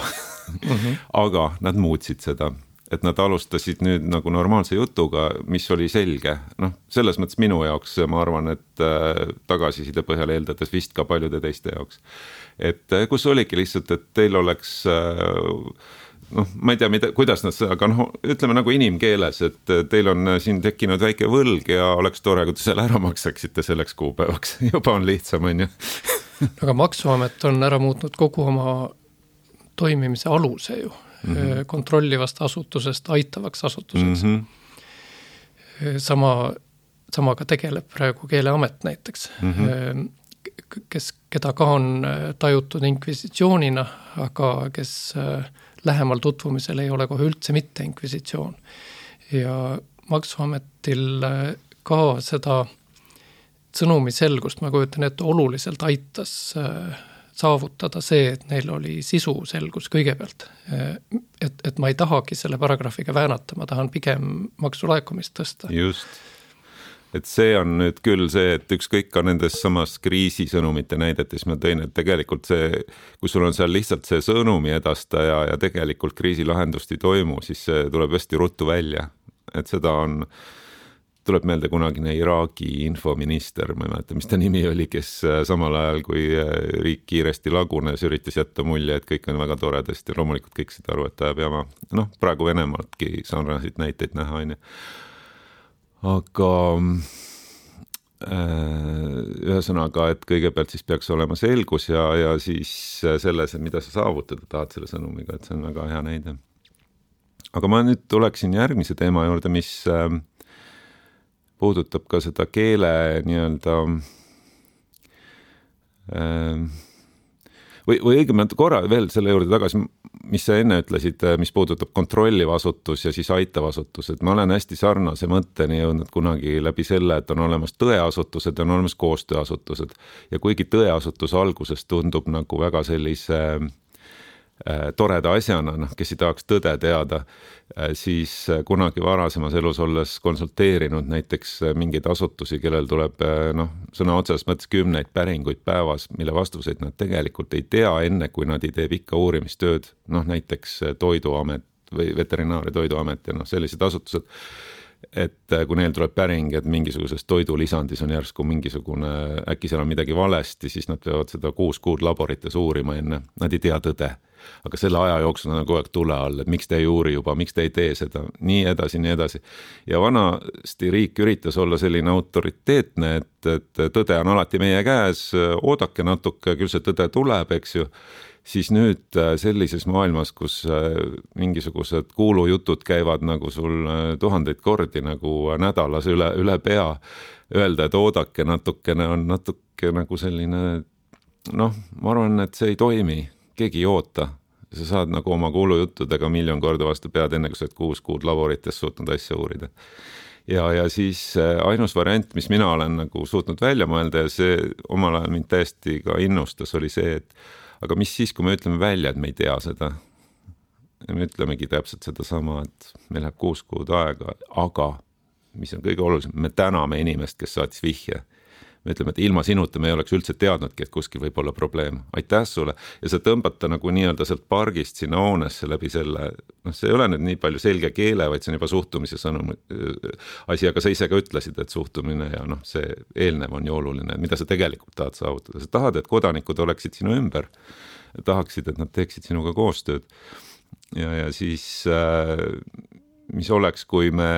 A: Mm-hmm. Aga nad muutsid seda, et nad alustasid nüüd nagu normaalse jutuga, mis oli selge. Noh, selles mõttes minu jaoks, ma arvan, et tagasiside põhjal eeldades vist ka paljude teiste jaoks. Et kus oligi lihtsalt, et teil oleks, noh, ma ei tea, mida, kuidas nad, aga noh, ütleme nagu inimkeeles, et teil on siin tekkinud väike võlg ja oleks tore, kui te selle ära maksaksite selleks kuupäevaks. Juba on lihtsam, on ju. Aga
B: Maksuamet on ära muutnud kogu oma toimimise aluse ju. Mm-hmm. Kontrollivast asutusest aitavaks asutuseks. Mm-hmm. Sama, samaga tegeleb praegu Keeleamet näiteks, mm-hmm. kes, keda ka on tajutud inkvisitsioonina, aga kes lähemal tutvumisel ei ole kohe üldse mitte inkvisitsioon. Ja Maksuametil ka seda sõnumi selgust, ma kujutan, et oluliselt aitas saavutada see, et neil oli sisu selgus kõigepealt. Et, et ma ei tahagi selle paragrahviga väänata, ma tahan pigem maksulaekumist tõsta.
A: Just. Et see on nüüd küll see, et ükskõik ka nendes samas kriisisõnumite näidetes ma tõin, et tegelikult see, kui sul on seal lihtsalt see sõnumi edastaja ja tegelikult kriisilahendust ei toimu, siis see tuleb hästi ruttu välja. Et seda on... tuleb meelde kunagine Iraagi infominister, ma ei mäleta, mis ta nimi oli, kes samal ajal, kui riik kiiresti lagunes, üritas jätta mulje, et kõik on väga toredasti ja loomulikult kõik seda aru, et ta jääb jama. Noh, praegu Venemaatki sarnasid näiteid näha, on ju. Aga ühesõnaga, et kõigepealt siis peaks olema selgus ja, ja siis selles, et mida sa saavutada tahad selle sõnumiga, et see on väga hea näide. Aga ma nüüd tuleksin järgmise teema juurde, mis puudutab ka seda keele nii-öelda või, või õigemalt korra veel selle juurde tagasi, mis sa enne ütlesid, mis puudutab kontrolliv asutus ja siis aitav asutus, et ma olen hästi sarnase mõtteni jõudnud kunagi läbi selle, et on olemas tõeasutused ja on olemas koostööasutused. Ja kuigi tõeasutus alguses tundub nagu väga sellise äh, toreda asjana, noh, kes ei tahaks tõde teada, äh, siis kunagi varasemas elus olles konsulteerinud näiteks mingeid asutusi, kellel tuleb äh, noh, sõna otsas mõttes kümneid päringuid päevas, mille vastuseid nad tegelikult ei tea enne, kui nad ei tee pikka uurimistööd, noh näiteks Toiduamet või Veterinaar- ja Toiduamet ja noh, sellised asutused, et kui neil tuleb päring, et mingisuguses toidulisandis on järsku mingisugune, äkki seal on midagi valesti, siis nad peavad seda kuus kuud laborites uurima enne, nad ei tea tõde. Aga selle aja jooksul on kogu aeg tule all, et miks te ei uuri juba, miks te ei tee seda, nii edasi, nii edasi. Ja vanasti riik üritas olla selline autoriteetne, et, et tõde on alati meie käes, oodake natuke, küll see tõde tuleb, eks ju. Siis nüüd sellises maailmas, kus mingisugused kuulujutud käivad nagu sul tuhandeid kordi nagu nädalas üle, üle pea, öelda, et oodake natukene on natuke nagu selline, noh, ma arvan, et see ei toimi. Keegi ei oota, sa saad nagu oma kuulujuttudega miljon korda vastu pead, enne kui sa oled kuus kuud laborites suutnud asja uurida. Ja, ja siis ainus variant, mis mina olen nagu suutnud välja mõelda ja see omal ajal mind täiesti ka innustas, oli see, et aga mis siis, kui me ütleme välja, et me ei tea seda. Ja me ütlemegi täpselt seda sama, et meil läheb kuus kuud aega, aga mis on kõige olulisem, me täname inimest, kes saatis vihje. Me ütleme, et ilma sinuta me ei oleks üldse teadnudki, et kuskil võib olla probleem. Aitäh sulle. Ja sa tõmbata nagu nii-öelda sealt pargist sinna hoonesse läbi selle, noh, see ei ole nüüd nii palju selge keele, vaid see on juba suhtumise sõnum asi, aga sa ise ka ütlesid, et suhtumine ja noh, see eelnev on ju oluline, mida sa tegelikult tahad saavutada. Sa tahad, et kodanikud oleksid sinu ümber, tahaksid, et nad teeksid sinuga koostööd. Ja, ja siis, mis oleks, kui me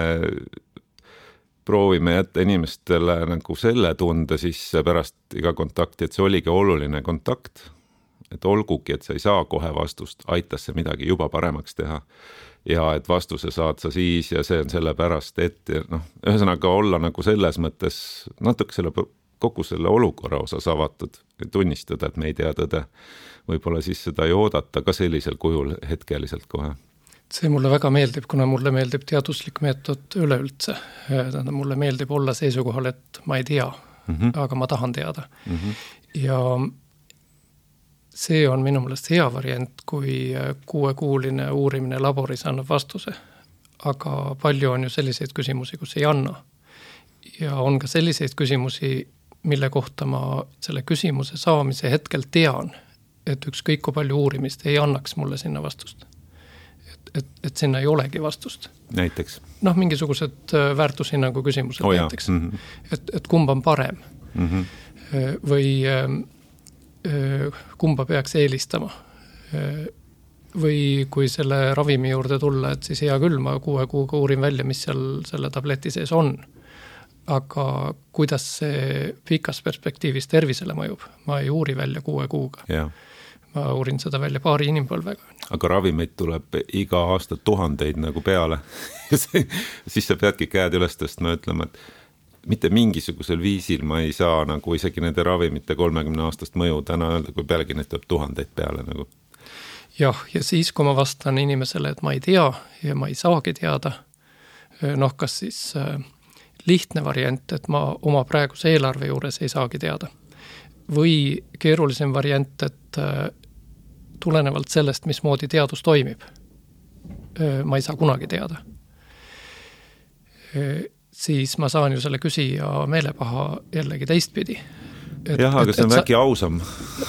A: proovime jätta inimestele nagu selle tunde siis pärast iga kontakti, et see oligi oluline kontakt, et olgugi, et sa ei saa kohe vastust, aitas see midagi juba paremaks teha ja et vastuse saad sa siis ja see on selle pärast, et noh, ühesõnaga olla nagu selles mõttes natuke selle, kogu selle olukorra osas avatud ja tunnistada, et me ei tea tõde. Võib-olla siis seda ei oodata ka sellisel kujul hetkeliselt kohe.
B: See mulle väga meeldib, kuna mulle meeldib teaduslik meetod üleüldse. Mulle meeldib olla seisukohal, et ma ei tea, mm -hmm. aga ma tahan teada. Mm -hmm. Ja see on minu meelest hea variant, kui kuuekuuline uurimine laboris annab vastuse. Aga palju on ju selliseid küsimusi, kus ei anna. Ja on ka selliseid küsimusi, mille kohta ma selle küsimuse saamise hetkel tean, et ükskõik kui palju uurimist ei annaks mulle sinna vastust. Et, et sinna ei olegi vastust.
A: Näiteks?
B: Noh, mingisugused väärtushinnangu küsimused oh, näiteks. Mm -hmm. et, et kumba on parem. Mm -hmm. Või kumba peaks eelistama. Või kui selle ravimi juurde tulla, et siis hea küll, ma kuue kuuga uurin välja, mis seal selle tableti sees on. Aga kuidas see pikas perspektiivis tervisele mõjub? Ma ei uuri välja kuue kuuga. Jah. Ma uurin seda välja paari inimpõlvega.
A: Aga ravimeid tuleb iga aasta tuhandeid nagu peale. Siis sa peadki käed üles tõstma ja ütlema, et mitte mingisugusel viisil ma ei saa nagu isegi nende ravimite kolmekümne aastast mõju täna öelda, kui pealegi neid tuleb tuhandeid peale nagu.
B: Jah, ja siis kui ma vastan inimesele, et ma ei tea ja ma ei saagi teada, noh, kas siis lihtne variant, et ma oma praeguse eelarve juures ei saagi teada. Või keerulisem variant, et tulenevalt sellest, mismoodi teadus toimib, ma ei saa kunagi teada. Siis ma saan ju selle küsija meelepaha jällegi teistpidi.
A: Et, jah, aga see on väike ausam,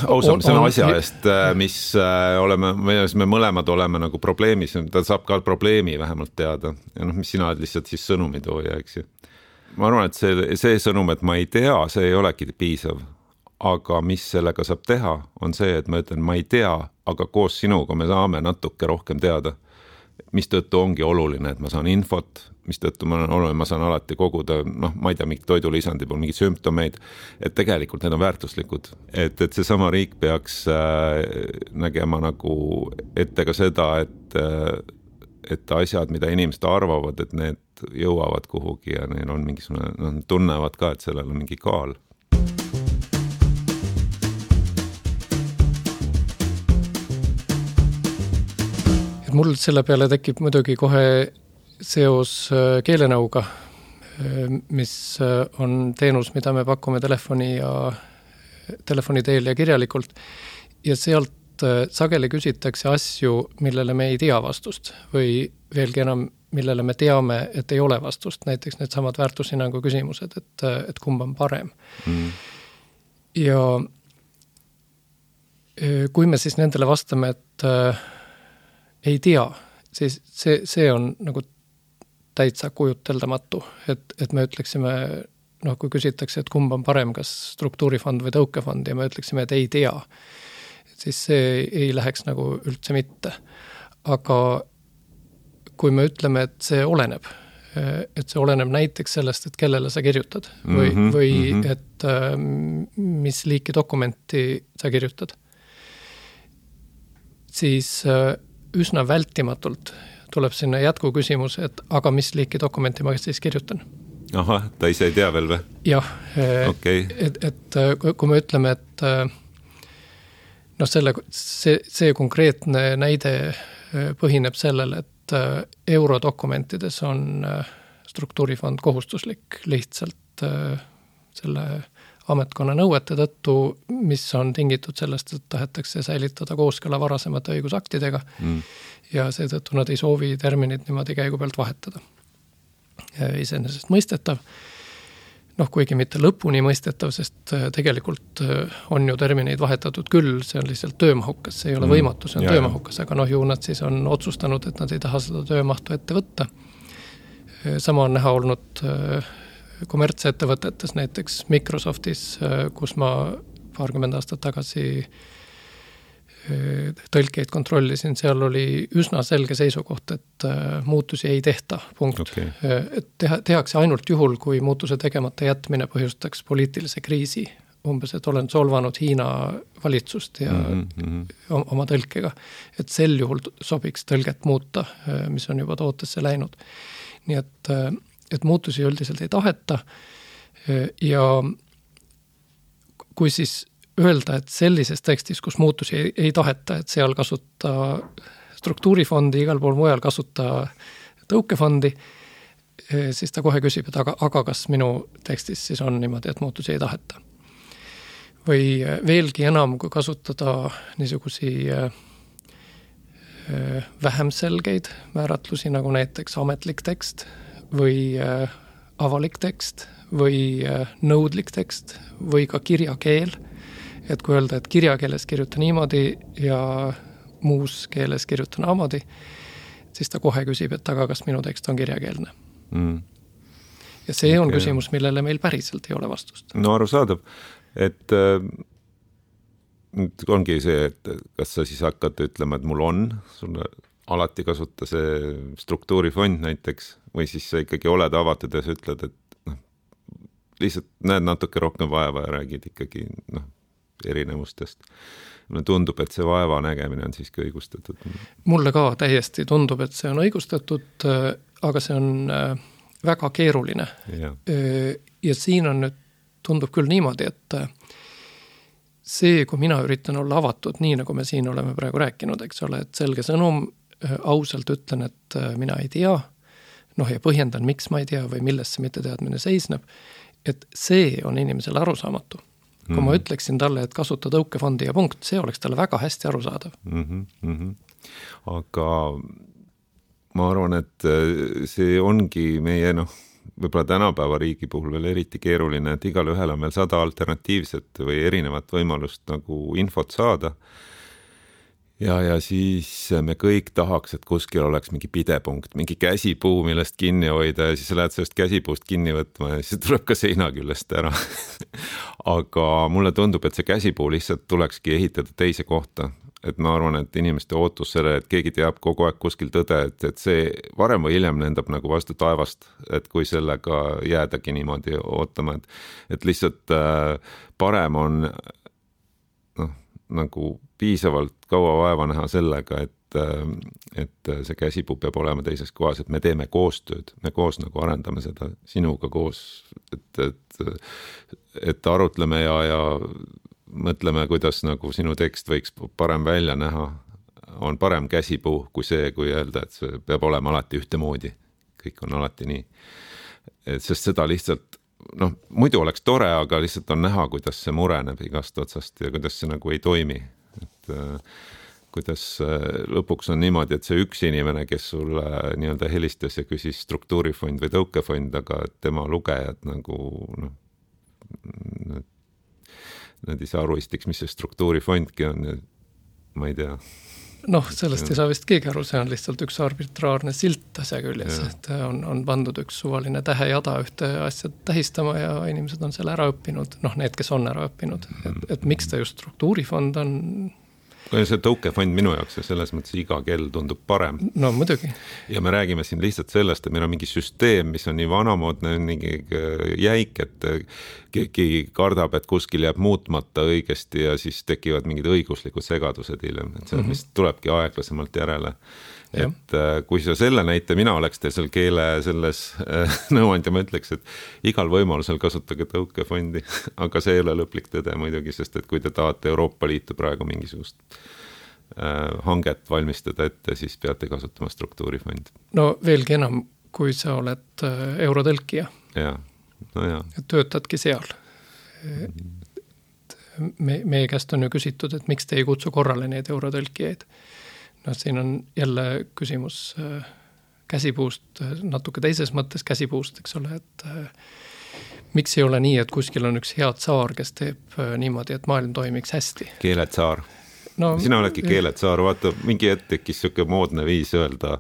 A: ausam selle asja eest, mis oleme, me mõlemad oleme nagu probleemis, ta saab ka probleemi vähemalt teada ja noh, mis sina oled lihtsalt siis sõnumitooja, eks ju. Ma arvan, et see, see sõnum, et ma ei tea, see ei olegi piisav. Aga mis sellega saab teha, on see, et ma ütlen, ma ei tea, aga koos sinuga me saame natuke rohkem teada. mistõttu ongi oluline, et ma saan infot, mistõttu ma, olen, ma saan alati koguda, noh, ma ei tea, mingi toidulisandi puhul, mingi sümptomeid, et tegelikult need on väärtuslikud. Et, et see sama riik peaks äh, nägema nagu ette ka seda, et, äh, et asjad, mida inimesed arvavad, et need jõuavad kuhugi ja neil on mingisugune, noh, tunnevad ka, et sellel on mingi kaal.
B: Mul selle peale tekib muidugi kohe seos keelenõuga, mis on teenus, mida me pakume telefoni ja telefoni teel ja kirjalikult. Ja sealt sageli küsitakse asju, millele me ei tea vastust või veelgi enam, millele me teame, et ei ole vastust. Näiteks need samad väärtushinnangu küsimused, et, et kumb on parem. Mm. Ja kui me siis nendele vastame, et ei tea, siis see, see on nagu täitsa kujuteldamatu, et, et me ütleksime, noh, kui küsitakse, et kumb on parem, kas struktuurifond või tõukefond ja me ütleksime, et ei tea, siis see ei läheks nagu üldse mitte. Aga kui me ütleme, et see oleneb, et see oleneb näiteks sellest, et kellele sa kirjutad või, mm-hmm, või mm-hmm. et mis liiki dokumenti sa kirjutad, siis üsna vältimatult tuleb sinna jätku küsimus, et aga mis liiki dokumenti ma siis kirjutan.
A: Aha, ta ise ei tea veel või?
B: Jah, okay. et, et kui me ütleme, et noh, selle, see, see konkreetne näide põhineb sellel, et eurodokumentides on struktuurifond kohustuslik lihtsalt selle ametkonna nõuete tõttu, mis on tingitud sellest, et tahetakse säilitada kooskõla varasemate õigusaktidega mm. ja seetõttu nad ei soovi terminit niimoodi käigu pealt vahetada. Iseenesest mõistetav, noh, kuigi mitte lõpuni mõistetav, sest tegelikult on ju termineid vahetatud küll, see on lihtsalt töömahukas, see ei ole võimatu, see on ja, töömahukas, aga noh, ju nad siis on otsustanud, et nad ei taha seda töömahtu ette võtta. Sama on näha olnud kommertsettevõtetes, näiteks Microsoftis, kus ma paarkümmend aastat tagasi tõlkeid kontrollisin, seal oli üsna selge seisukoht, et muutusi ei tehta, punkt. Okay. Et teha, tehakse ainult juhul, kui muutuse tegemata jätmine põhjustaks poliitilise kriisi. Umbes, et olen solvanud Hiina valitsust ja mm-hmm. oma tõlkega. Et sel juhul sobiks tõlget muuta, mis on juba tootesse läinud. Nii et et muutusi üldiselt ei taheta ja kui siis öelda, et sellises tekstis, kus muutusi ei, ei taheta, et seal kasuta struktuurifondi, igal pool mujal kasuta tõukefondi, siis ta kohe küsib, et aga, aga kas minu tekstis siis on niimoodi, et muutusi ei taheta. Või veelgi enam, kui kasutada niisugusi vähem selgeid määratlusi, nagu näiteks ametlik tekst, või äh, avalik tekst või äh, nõudlik tekst või ka kirjakeel. Et kui öelda, et kirjakeeles kirjuta niimoodi ja muus keeles kirjuta naamodi, siis ta kohe küsib, et aga kas minu tekst on kirjakeelne. Mm. Ja see on okay. Küsimus, millele meil päriselt ei ole vastust.
A: No arusaadav, et äh, ongi see, et kas sa siis hakkad ütlema, et mul on sulle alati kasuta see struktuurifond näiteks või siis sa ikkagi oled avatud ja sa ütled, et noh, lihtsalt näed natuke rohkem vaeva ja räägid ikkagi noh, erinevustest. Mulle tundub, et see vaeva nägemine on siiski õigustatud.
B: Mulle ka täiesti tundub, et see on õigustatud, aga see on väga keeruline. Ja, ja siin on nüüd, tundub küll niimoodi, et see, kui mina üritan olla avatud, nii nagu me siin oleme praegu rääkinud, eks ole, et selge sõnum, ausalt ütlen, et mina ei tea, noh ja põhjendan, miks ma ei tea või millest see mitte teadmine seisneb, et see on inimesele arusaamatu. Kui mm. ma ütleksin talle, et kasuta tõukefondi ja punkt, see oleks talle väga hästi arusaadav.
A: Mm-hmm, mm-hmm. Aga ma arvan, et see ongi meie noh, võib-olla tänapäeva riigi puhul veel eriti keeruline, et igal ühel on veel sada alternatiivset või erinevat võimalust nagu infot saada. Ja, ja siis me kõik tahaks, et kuskil oleks mingi pidepunkt, mingi käsipuu, millest kinni hoida ja siis sa lähed sellest käsipuust kinni võtma ja siis tuleb ka seina küljest ära. Aga mulle tundub, et see käsipuu lihtsalt tulekski ehitada teise kohta. et ma arvan, et inimeste ootus selle, et keegi teab kogu aeg kuskil tõde, et, et see varem või hiljem lendab nagu vastu taevast, et kui sellega jäädagi niimoodi ootama, et, et lihtsalt äh, parem on noh, nagu piisavalt kaua vaeva näha sellega, et et see käsipuu peab olema teises kohas, et me teeme koostööd, me koos nagu arendame seda sinuga koos, et, et, et arutleme ja, ja mõtleme, kuidas nagu sinu tekst võiks parem välja näha, on parem käsipuu kui see, kui öelda, et see peab olema alati ühtemoodi, kõik on alati nii. Et sest seda lihtsalt, noh, muidu oleks tore, aga lihtsalt on näha, kuidas see mureneb igast otsast ja kuidas see nagu ei toimi, et kuidas lõpuks on niimoodi, et see üks inimene, kes sulle nii-öelda helistas ja küsis struktuurifond või tõukefond, aga tema lugejad nagu noh, nad ei saa aru istiks, mis see struktuurifondki on, ma ei tea.
B: Noh, sellest ei saa vist keegi aru, see on lihtsalt üks arbitraarne silt asja küljes, et on, on pandud üks suvaline tähejada ühte asja tähistama ja inimesed on selle ära õppinud, noh, need, kes on ära õppinud, et, et miks ta just struktuurifond on.
A: See tõukefond minu jaoks ja selles mõttes iga kell tundub parem.
B: No muidugi.
A: Ja me räägime siin lihtsalt sellest, et meil on mingi süsteem, mis on nii vanamoodne, mingi jäik, et keegi kardab, et kuskil jääb muutmata õigesti ja siis tekivad mingid õiguslikud segadused hiljem, et see, mis tulebki aeglasemalt järele. Ja. Et kui sa selle näite, mina oleks teil seal keele selles nõuand ja ma ütleks, et igal võimalusel kasutage tõukefondi, aga see ei ole lõplik tõde muidugi, sest et kui te tahate Euroopa Liitu praegu mingisugust hanget valmistada ette, siis peate kasutama struktuurifond.
B: No veelgi enam, kui sa oled eurotõlkija.
A: Ja, no ja.
B: Töötadki seal. Me, meie käest on ju küsitud, et miks te ei kutsu korrale neid eurotõlkijaid. No siin on jälle küsimus käsipuust, natuke teises mõttes käsipuust, eks ole, et miks ei ole nii, et kuskil on üks head saar, kes teeb niimoodi, et maailm toimiks hästi.
A: Keeletsaar. No, sina oledki keeletsaar, vaata, mingi hetk tekkis siuke moodne viis öelda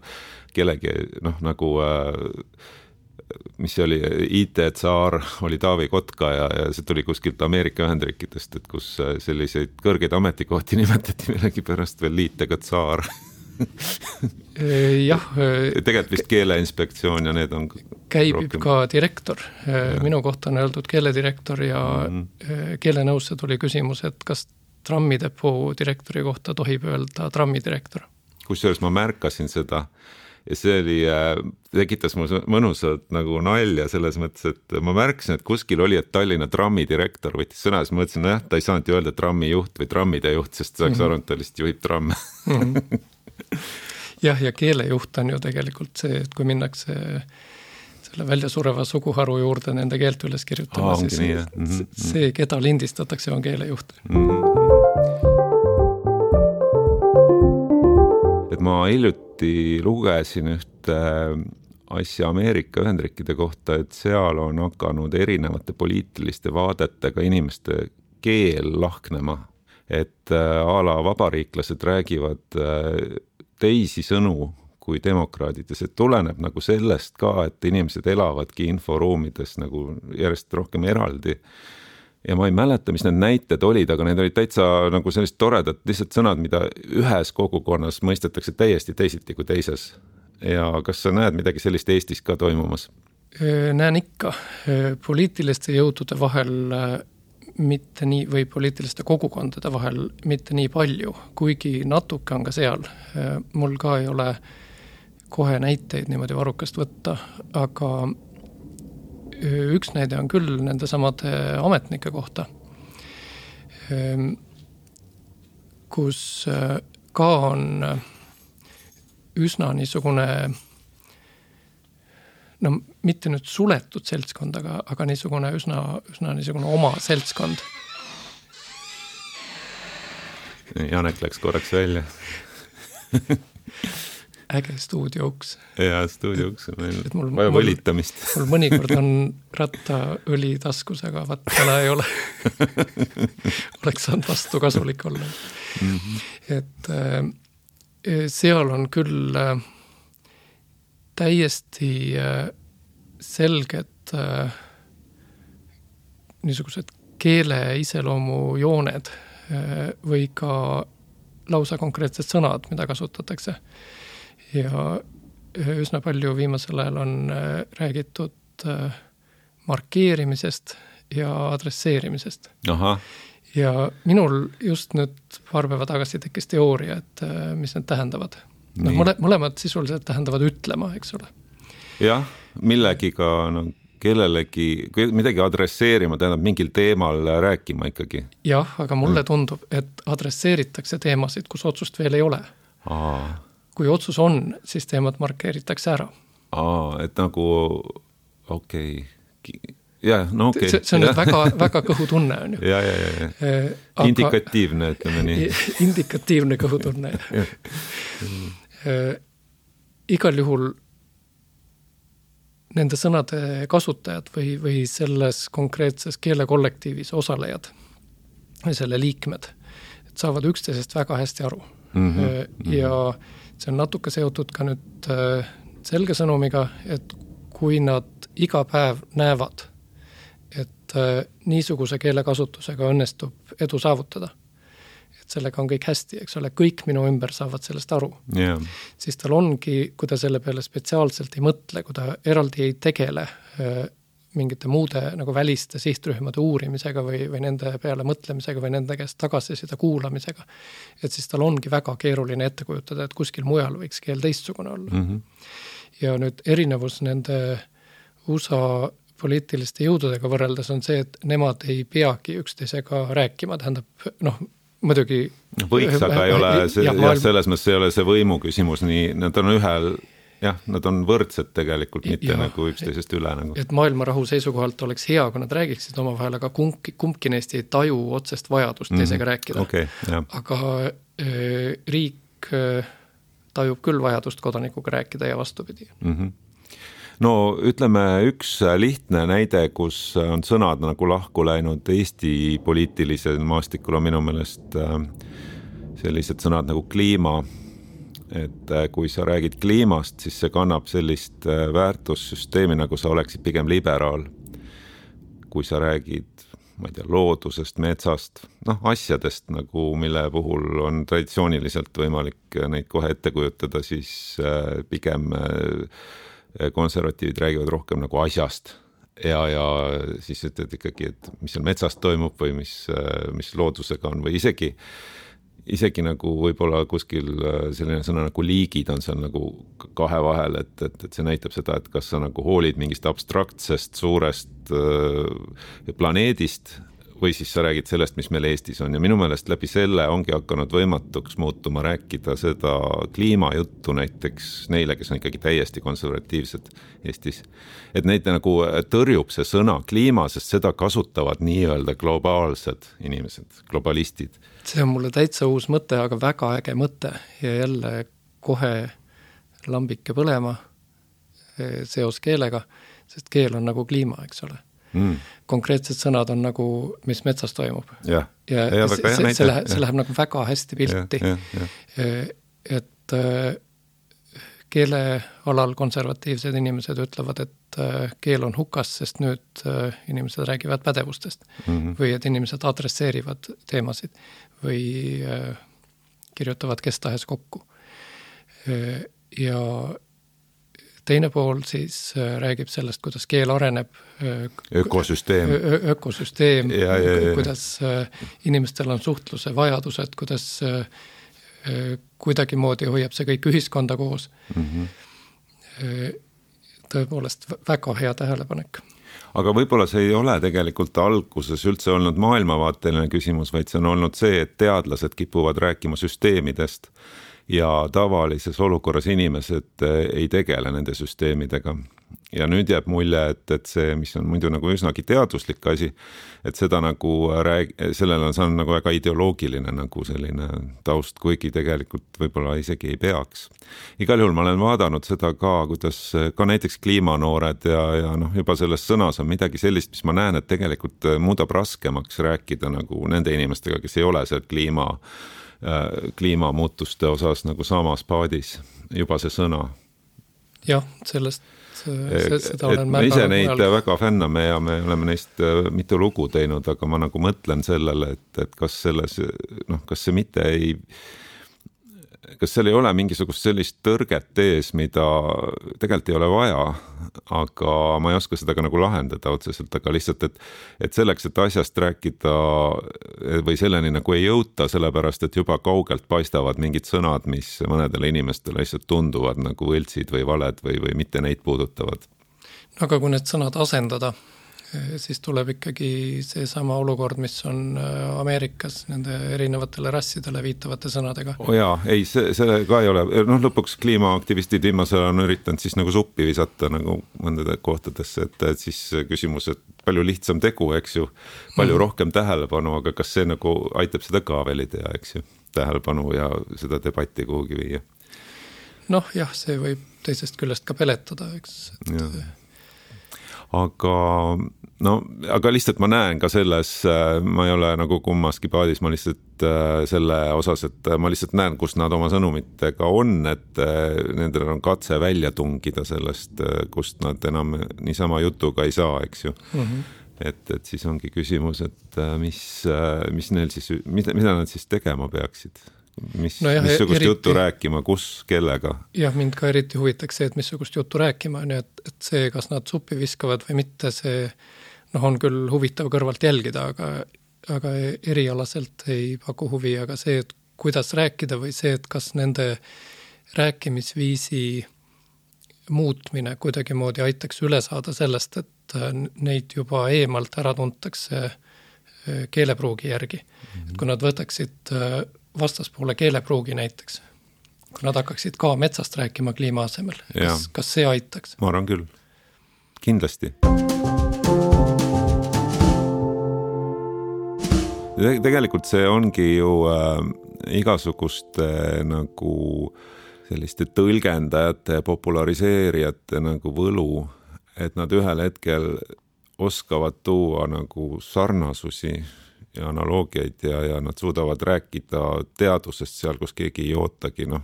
A: kellegi, noh, nagu mis oli I T-tsaar, oli Taavi Kotka ja, ja see tuli kuskilt Ameerika Ühendriikidest, et kus selliseid kõrgeid ametikohti nimetati millegi pärast veel liitega tsaar.
B: Jah.
A: Tegelikult vist keeleinspektsioon ja need on
B: käib rohkem... ka direktor. Ja. Minu kohta on öeldud keeledirektor ja mm-hmm. keelenõusse tuli küsimus, et kas trammidepoo direktori kohta tohib öelda trammidirektor. Kusjuures
A: ma märkasin seda ja see oli, tekitas mul mõnusalt nagu nalja selles mõttes, et ma märkasin, et kuskil oli, et Tallinna trammidirektor võttis sõna, siis ma mõtlesin, jah, ta ei saanud ju öelda trammijuht või trammide juht, sest saaks mm-hmm. aru, et ta lihtsalt juhib tramme.
B: mm-hmm. Jah, ja keelejuht on ju tegelikult see, et kui minnakse selle väljasureva suguharu juurde nende keelt üles kirjutama, Aa, siis nii, mm-hmm. see, keda lindistatakse, on keelejuht. Mm-hmm.
A: Et ma hiljuti lugesin ühte asja Ameerika Ühendriikide kohta, et seal on hakanud erinevate poliitiliste vaadetega inimeste keel lahknema. Et a la vabariiklased räägivad teisi sõnu kui demokraadid ja see tuleneb nagu sellest ka, et inimesed elavadki inforuumides nagu järjest rohkem eraldi. Ja ma ei mäleta, mis need näited olid, aga need olid täitsa nagu sellist toredad lihtsalt sõnad, mida ühes kogukonnas mõistetakse täiesti teisiti kui teises. Ja kas sa näed midagi sellist Eestis ka toimumas?
B: Näen ikka. Poliitiliste jõudude vahel mitte nii, või poliitiliste kogukondade vahel mitte nii palju, kuigi natuke on ka seal. Mul ka ei ole kohe näiteid niimoodi varrukast võtta, aga üks näide on küll nende samade ametnike kohta, kus ka on üsna niisugune, no mitte nüüd suletud seltskond, aga, aga niisugune üsna, üsna niisugune oma seltskond.
A: Janek läks korraks välja.
B: Äge stuudiouks.
A: Ja, stuudiouks on meil mul, vaja võlitamist.
B: Mul, mul mõnikord on rattaõli taskus, aga vaat täna ei ole. Oleks saanud vastu kasulik olla. Mm-hmm. Et äh, seal on küll äh, täiesti äh, selged äh, niisugused keele iseloomu jooned äh, või ka lausa konkreetsed sõnad, mida kasutatakse. Ja üsna palju viimasel ajal on räägitud markeerimisest ja adresseerimisest.
A: Aha.
B: Ja minul just nüüd paar päeva tagasi tekkis teooria, et mis need tähendavad. No, mole, mõlemad sisuliselt tähendavad ütlema, eks ole.
A: Jah, millegiga no, kellelegi, midagi adresseerima, tähendab mingil teemal rääkima ikkagi.
B: Jah, aga mulle tundub, et adresseeritakse teemasid, kus otsust veel ei ole.
A: Aa.
B: Kui otsus on, siis teemad markeeritakse ära.
A: Aa, et nagu, okei, okay. ja, no okei. Okay.
B: See, see on nüüd väga, väga kõhutunne on ju.
A: Ja, ja, ja, ja. Aga, indikatiivne, ütleme nii.
B: Indikatiivne kõhutunne. Igal juhul nende sõnade kasutajad või, või selles konkreetses keelekollektiivis osalejad või selle liikmed, et saavad üksteisest väga hästi aru. Mm-hmm. Ja see on natuke seotud ka nüüd selge sõnumiga, et kui nad iga päev näevad, et niisuguse keelekasutusega õnnestub edu saavutada, et sellega on kõik hästi, eks ole, kõik minu ümber saavad sellest aru.
A: Yeah.
B: Siis tal ongi, kui ta selle peale spetsiaalselt ei mõtle, kui ta eraldi ei tegele mingite muude nagu väliste sihtrühmade uurimisega või, või nende peale mõtlemisega või nende käest tagasisida kuulamisega, et siis tal ongi väga keeruline ette kujutada, et kuskil mujal võiks keel teistsugune olla. Mm-hmm. Ja nüüd erinevus nende U S A poliitiliste jõududega võrreldes on see, et nemad ei peagi üksteisega rääkima, tähendab, noh, muidugi
A: võiks, aga ei ole, see, jah, maailm... selles mõttes ei ole see võimu küsimus, nii, nad on ühel, jah, nad on võrdsed tegelikult, mitte ja, nagu üksteisest üle. Nagu.
B: Et maailma rahu seisukohalt oleks hea, kui nad räägiksid oma vahel, aga kumbki, kumbki neist ei taju otsest vajadust mm-hmm. teisega rääkida.
A: Okay,
B: aga äh, riik äh, tajub küll vajadust kodanikuga rääkida ja vastupidi.
A: Mm-hmm. No ütleme üks lihtne näide, kus on sõnad nagu lahku läinud Eesti poliitilisel maastikul on minu meelest sellised sõnad nagu kliima, et kui sa räägid kliimast, siis see kannab sellist väärtussüsteemi, nagu sa oleksid pigem liberaal. Kui sa räägid, ma ei tea, loodusest, metsast, noh, asjadest, nagu mille puhul on traditsiooniliselt võimalik neid kohe ette kujutada, siis pigem konservatiivid räägivad rohkem nagu asjast ja, ja siis ütled ikkagi, et mis seal metsast toimub või mis, mis loodusega on või isegi, isegi nagu võib-olla kuskil selline sõna nagu liigid on seal nagu kahe vahel, et, et, et see näitab seda, et kas sa nagu hoolid mingist abstraktsest suurest äh, planeedist või siis sa räägid sellest, mis meil Eestis on ja minu meelest läbi selle ongi hakanud võimatuks muutuma rääkida seda kliimajuttu näiteks neile, kes on ikkagi täiesti konservatiivsed Eestis. Et neid nagu tõrjub see sõna kliima, sest seda kasutavad nii-öelda globaalsed inimesed, globalistid.
B: See on mulle täitsa uus mõte, aga väga äge mõte ja jälle kohe lambike põlema seos keelega, sest keel on nagu kliima, eks ole. Mm. Konkreetsed sõnad on nagu, mis metsas toimub.
A: Ja,
B: ja, ja see, see, see, läheb, see läheb nagu väga hästi pilti. Ja, ja, ja. Et keele alal konservatiivsed inimesed ütlevad, et keel on hukas, sest nüüd inimesed räägivad pädevustest mm-hmm. või et inimesed adresseerivad teemasid või kirjutavad kes tahes kokku. Ja teine pool siis räägib sellest, kuidas keel areneb.
A: Ökosüsteem.
B: Ö- ökosüsteem,
A: ja, ja, ja.
B: Kuidas inimestel on suhtluse vajadused, kuidas kuidagimoodi hoiab see kõik ühiskonda koos. Mm-hmm. Tõepoolest väga hea tähelepanek.
A: Aga võib-olla see ei ole tegelikult alguses üldse olnud maailmavaateline küsimus, vaid see on olnud see, et teadlased kipuvad rääkima süsteemidest ja tavalises olukorras inimesed ei tegele nende süsteemidega. Ja nüüd jääb mulje, et, et see, mis on muidu nagu üsnagi teaduslik asi, et seda nagu rääg... sellel on saanud nagu väga ideoloogiline nagu selline taust, kuigi tegelikult võib-olla isegi ei peaks. Igal juhul ma olen vaadanud seda ka, kuidas ka näiteks kliimanoored ja, ja noh, juba selles sõnas on midagi sellist, mis ma näen, et tegelikult muudab raskemaks rääkida nagu nende inimestega, kes ei ole seal kliima kliimamuutuste osas nagu samas paadis juba see sõna.
B: Jah, sellest see, seda olen
A: me ise neid mujal. Väga fänname ja me oleme neist mitu lugu teinud, aga ma nagu mõtlen sellele, et, et kas selles, noh, kas see mitte ei kas seal ei ole mingisugust sellist tõrget ees, mida tegelikult ei ole vaja, aga ma ei oska seda ka nagu lahendada otseselt, aga lihtsalt, et, et selleks, et asjast rääkida või selleni nagu ei jõuta, sellepärast, et juba kaugelt paistavad mingid sõnad, mis mõnedele inimestele lihtsalt tunduvad nagu võltsid või valed või, või mitte neid puudutavad.
B: Aga kui need sõnad asendada, siis tuleb ikkagi seesama olukord, mis on Ameerikas nende erinevatele rassidele viitavate sõnadega.
A: O jaa, ei, see, see ka ei ole, noh lõpuks kliimaaktivistid viimasel on üritanud siis nagu suppi visata nagu mõndade kohtadesse, et, et siis küsimus, et palju lihtsam tegu, eks ju, palju hmm. rohkem tähelepanu, aga kas see nagu aitab seda ka veel ei tea, eks ju, tähelepanu ja seda debatti kuhugi viia?
B: Noh jah, see võib teisest küljest ka peletada, eks. Et...
A: aga no, aga lihtsalt ma näen ka selles, ma ei ole nagu kummaski paadis, ma lihtsalt selle osas, et ma lihtsalt näen, kus nad oma sõnumitega on, et nendel on katse välja tungida sellest, kust nad enam niisama jutuga ei saa, eks ju. Mm-hmm. Et, et siis ongi küsimus, et mis, mis neil siis, mida, mida nad siis tegema peaksid? Mis, no jah, missugust eriti, juttu rääkima, kus, kellega? Jah,
B: mind ka eriti huvitaks see, et missugust juttu rääkima, nii et, et see, kas nad suppi viskavad või mitte, see noh, on küll huvitav kõrvalt jälgida, aga, aga erialaselt ei paku huvi, aga see, et kuidas rääkida või see, et kas nende rääkimisviisi muutmine kuidagi moodi aitaks üle saada sellest, et neid juba eemalt ära tuntakse keelepruugi järgi. Mm-hmm. Et kui nad võtaksid vastaspoole keelepruugi näiteks, kui nad hakkaksid ka metsast rääkima kliima asemel, kas, kas see aitaks?
A: Ma arvan küll, kindlasti. Tegelikult see ongi ju äh, igasuguste äh, nagu selliste tõlgendajate, populariseerijate nagu võlu, et nad ühel hetkel oskavad tuua nagu sarnasusi ja analoogiaid ja, ja nad suudavad rääkida teadusest seal, kus keegi ei ootagi, noh,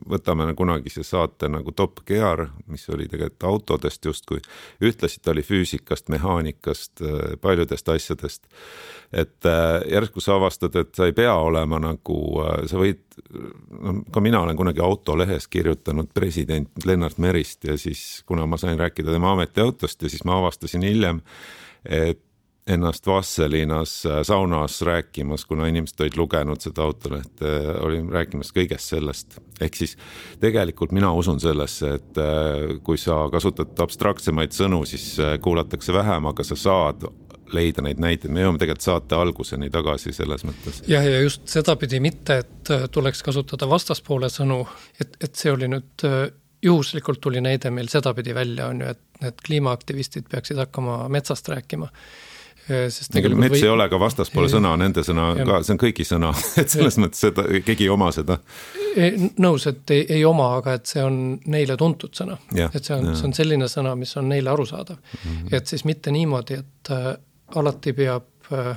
A: võtame kunagi see saate nagu Top Gear, mis oli tegelikult autodest justkui, ütlesid, ta oli füüsikast, mehaanikast, paljudest asjadest, et järsku sa avastad, et sa ei pea olema nagu, sa võid, no, ka mina olen kunagi autolehes kirjutanud president Lennart Merist ja siis, kuna ma sain rääkida tema ametiautost ja siis ma avastasin hiljem, et ennast Vasselinas saunas rääkimas, kuna inimesed olid lugenud seda autolehte, olin rääkimas kõigest sellest. Ehk siis tegelikult mina usun sellesse, et kui sa kasutad abstraktsemaid sõnu, siis kuulatakse vähem, aga sa saad leida neid näiteid. Me jõuame tegelikult saate alguseni tagasi selles mõttes.
B: Jah, ja just seda pidi mitte, et tuleks kasutada vastaspoole sõnu, et, et see oli nüüd juhuslikult tuli näide meil seda pidi välja, on ju, et need kliimaaktivistid peaksid hakkama metsast rääkima.
A: Sest mets või... ei ole ka vastaspoole ei, sõna, nende sõna ja, ka, see on kõigi sõna, et selles ja, mõttes seda, keegi ei oma seda.
B: Nõus, et ei, ei oma, aga et see on neile tuntud sõna. Ja, et see on, see on selline sõna, mis on neile arusaadav. Mm-hmm. Et siis mitte niimoodi, et äh, alati peab äh,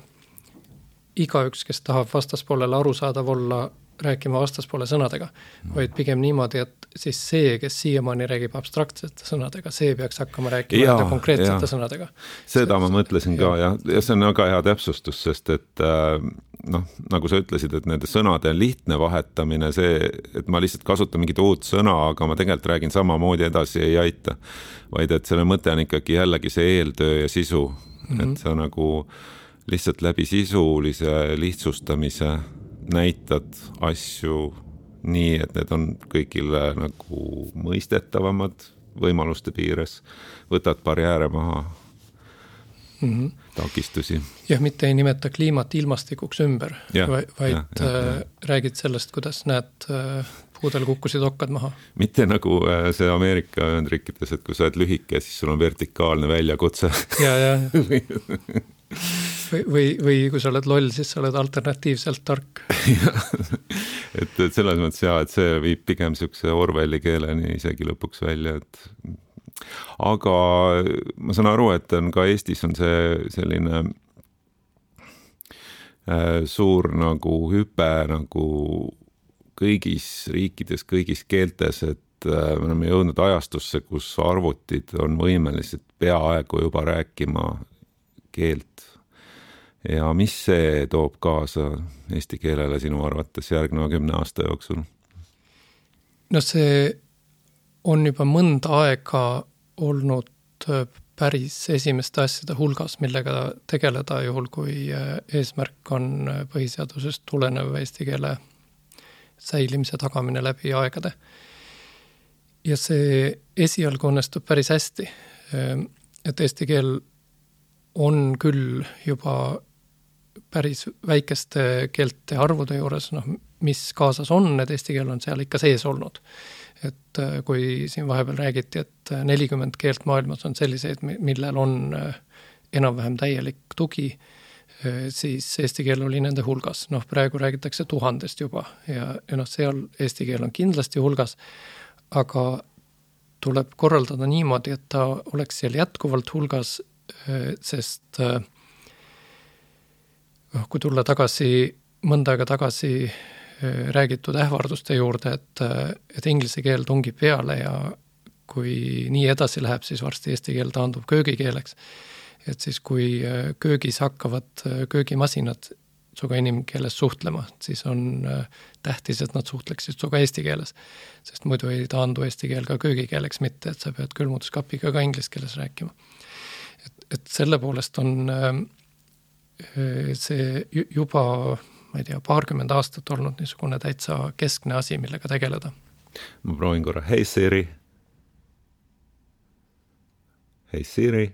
B: igaüks, kes tahab vastaspoolele arusaadav olla, rääkima vastaspoole sõnadega, vaid pigem niimoodi, et siis see, kes siiamaani räägib abstraktsete sõnadega, see peaks hakkama rääkima ja, konkreetsete ja. Sõnadega.
A: Seda ma mõtlesin ka ja, ja see on väga hea täpsustus, sest et noh, nagu sa ütlesid, et nende sõnade lihtne vahetamine, see, et ma lihtsalt kasutan mingit uut sõna, aga ma tegelikult räägin samamoodi edasi, ei aita, vaid et selle mõte on ikkagi jällegi see eeltöö ja sisu, mm-hmm. et sa nagu lihtsalt läbi sisulise lihtsustamise näitad asju nii, et need on kõigile nagu mõistetavamad võimaluste piires, võtad barjääre maha, mm-hmm. takistusi.
B: Jah, mitte ei nimeta kliimat ilmastikuks ümber, ja, vaid ja, ja, ja. räägid sellest, kuidas näed, puudel kukkusid okkad maha.
A: Mitte nagu see Ameerika Ühendriikides, et kui sa oled lühike, siis sul on vertikaalne väljakutse.
B: Ja, ja. Või, või, või kui sa oled loll, siis sa oled alternatiivselt tark.
A: et, et selles mõttes jah, et see viib pigem niisuguse Orwelli keeleni isegi lõpuks välja, et aga ma saan aru, et on ka Eestis on see selline äh, suur nagu hüpe nagu kõigis riikides, kõigis keeltes, et äh, me oleme jõudnud ajastusse, kus arvutid on võimelised peaaegu juba rääkima keelt. Ja mis see toob kaasa eesti keelele sinu arvates järgneva kümne aasta jooksul?
B: no see on juba mõnda aega olnud päris esimeste asjade hulgas, millega tegeleda juhul, kui eesmärk on põhiseadusest tulenev eesti keele säilimise tagamine läbi aegade. Ja see esialgu õnnestub päris hästi, et eesti keel on küll juba päris väikeste keelte arvude juures, noh, mis kaasas on, et eesti keel on seal ikka sees olnud. Et kui siin vahepeal räägiti, et nelikümmend keelt maailmas on selliseid, millel on enam-vähem täielik tugi, siis eesti keel oli nende hulgas. Noh, praegu räägitakse tuhandest juba ja, ja noh, seal eesti keel on kindlasti hulgas, aga tuleb korraldada niimoodi, et ta oleks seal jätkuvalt hulgas, sest kui tulla tagasi, mõnda aega tagasi räägitud ähvarduste juurde, et, et inglise keel tungib peale ja kui nii edasi läheb, siis varsti eesti keel taandub köögikeeleks. Et siis kui köögis hakkavad köögimasinad suga inimkeeles suhtlema, siis on tähtis, et nad suhtleksid suga eesti keeles, sest muidu ei taandu eesti keel ka köögikeeleks mitte, et sa pead külmutuskapiga ka inglise keeles rääkima. Et, et selle poolest on see juba ma ei tea, paarkümmend aastat olnud niisugune täitsa keskne asi, millega tegeleda.
A: Ma proovin korra. Hei Siri. Hei Siri.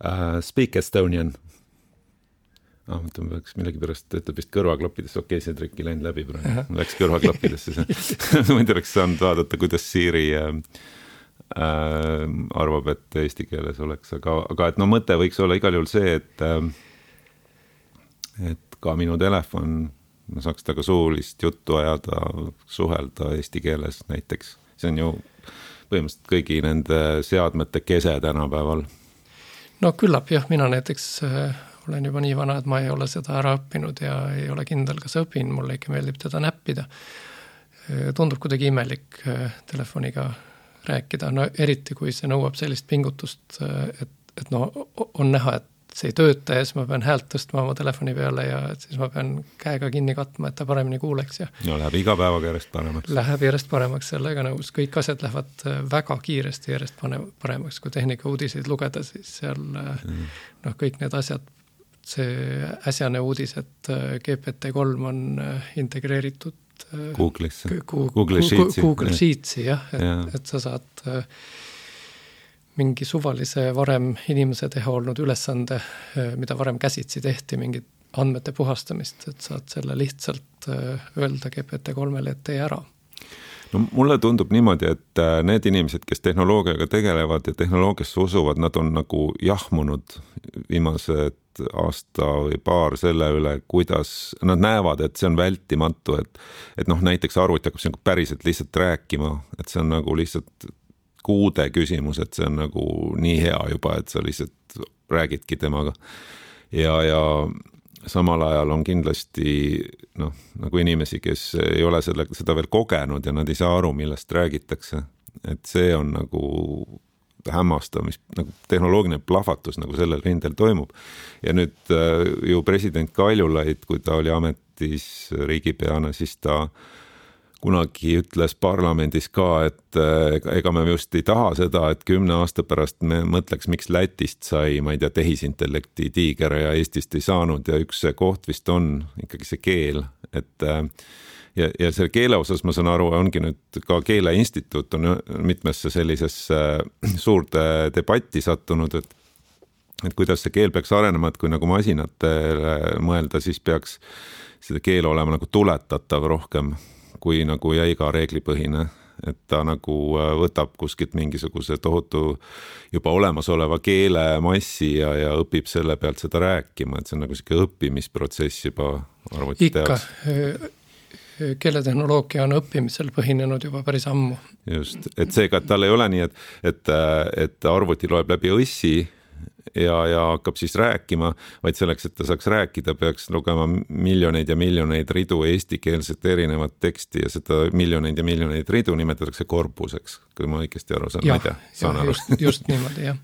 A: Uh, speak Estonian. Ah, mõtle, ma peaks millegi pärast, ütleb vist kõrvaklappidesse, okei, see trikk ei läinud läbi praegu. Ma läks kõrvaklappidesse. Ma ei oleks saanud vaadata, kuidas Siri uh, Äh, arvab, et eesti keeles oleks, aga, aga et no mõte võiks olla igal juhul see, et äh, et ka minu telefon, ma saaks taga suulist juttu ajada, suhelda eesti keeles näiteks. See on ju põhimõtteliselt kõigi nende seadmete kese tänapäeval.
B: No küllap jah, mina näiteks äh, olen juba nii vana, et ma ei ole seda ära õppinud ja ei ole kindel, kas õpin, mulle ikka meeldib teda näppida. Äh, tundub kuidagi imelik äh, telefoniga rääkida, no eriti kui see nõuab sellist pingutust, et, et no on näha, et see ei tööta ja siis ma pean häält tõstma oma telefoni peale ja siis ma pean käega kinni katma, et ta paremini kuuleks. Ja
A: no läheb iga päevaga järjest paremaks.
B: Läheb järjest paremaks, sellega nõus. Kõik asjad lähevad väga kiiresti järjest paremaks, kui tehnika uudiseid lugeda, siis seal mm. noh, kõik need asjad, see äsjane uudis, et G P T kolm on integreeritud
A: Google'isse.
B: Google Sheetsi. Google Sheetsi, jah, et, ja. et sa saad mingi suvalise varem inimese teha olnud ülesande, mida varem käsitsi tehti, mingit andmete puhastamist, et saad selle lihtsalt öelda G P T kolmele, et tee ära.
A: No mulle tundub niimoodi, et need inimesed, kes tehnoloogiaga tegelevad ja tehnoloogiasse usuvad, nad on nagu jahmunud viimased aasta või paar selle üle, kuidas nad näevad, et see on vältimatu, et, et noh, näiteks arvuti hakkab see päriselt lihtsalt rääkima, et see on nagu lihtsalt kuude küsimus, et see on nagu nii hea juba, et sa lihtsalt räägidki temaga. Ja, ja samal ajal on kindlasti noh, nagu inimesi, kes ei ole selle, seda veel kogenud ja nad ei saa aru, millest räägitakse. Et see on nagu hämmastav, mis nagu tehnoloogiline plahvatus nagu sellel rindel toimub. Ja nüüd äh, ju president Kaljulaid, kui ta oli ametis riigipeana, siis ta kunagi ütles parlamendis ka, et äh, ega me just ei taha seda, et kümne aasta pärast me mõtleks, miks Lätist sai, ma ei tea, tehisintellekti tiiger ja Eestist ei saanud ja üks see koht vist on ikkagi see keel, et äh, Ja, ja selle keele osas ma saan aru, ongi nüüd ka Keeleinstituut on mitmesse sellisesse suurde debatti sattunud, et, et kuidas see keel peaks arenema, et kui nagu masinatele mõelda, siis peaks seda keel olema nagu tuletatav rohkem kui nagu jäiga reeglipõhine, et ta nagu võtab kuskilt mingisuguse tohutu juba olemasoleva keelemassi ja, ja õpib selle pealt seda rääkima, et see on nagu siuke õppimisprotsess juba arvuti teoks.
B: Ikka keeletehnoloogia on õppimisel põhinenud juba päris ammu.
A: Just, et seega, et tal ei ole nii, et, et, et arvuti loeb läbi õssi ja, ja hakkab siis rääkima, vaid selleks, et ta saaks rääkida, peaks lugema miljoneid ja miljoneid ridu eestikeelset erinevat teksti ja seda miljoneid ja miljoneid ridu nimetatakse korpuseks, kui ma õigesti aru saan.
B: Ja, ja just, just niimoodi, jah.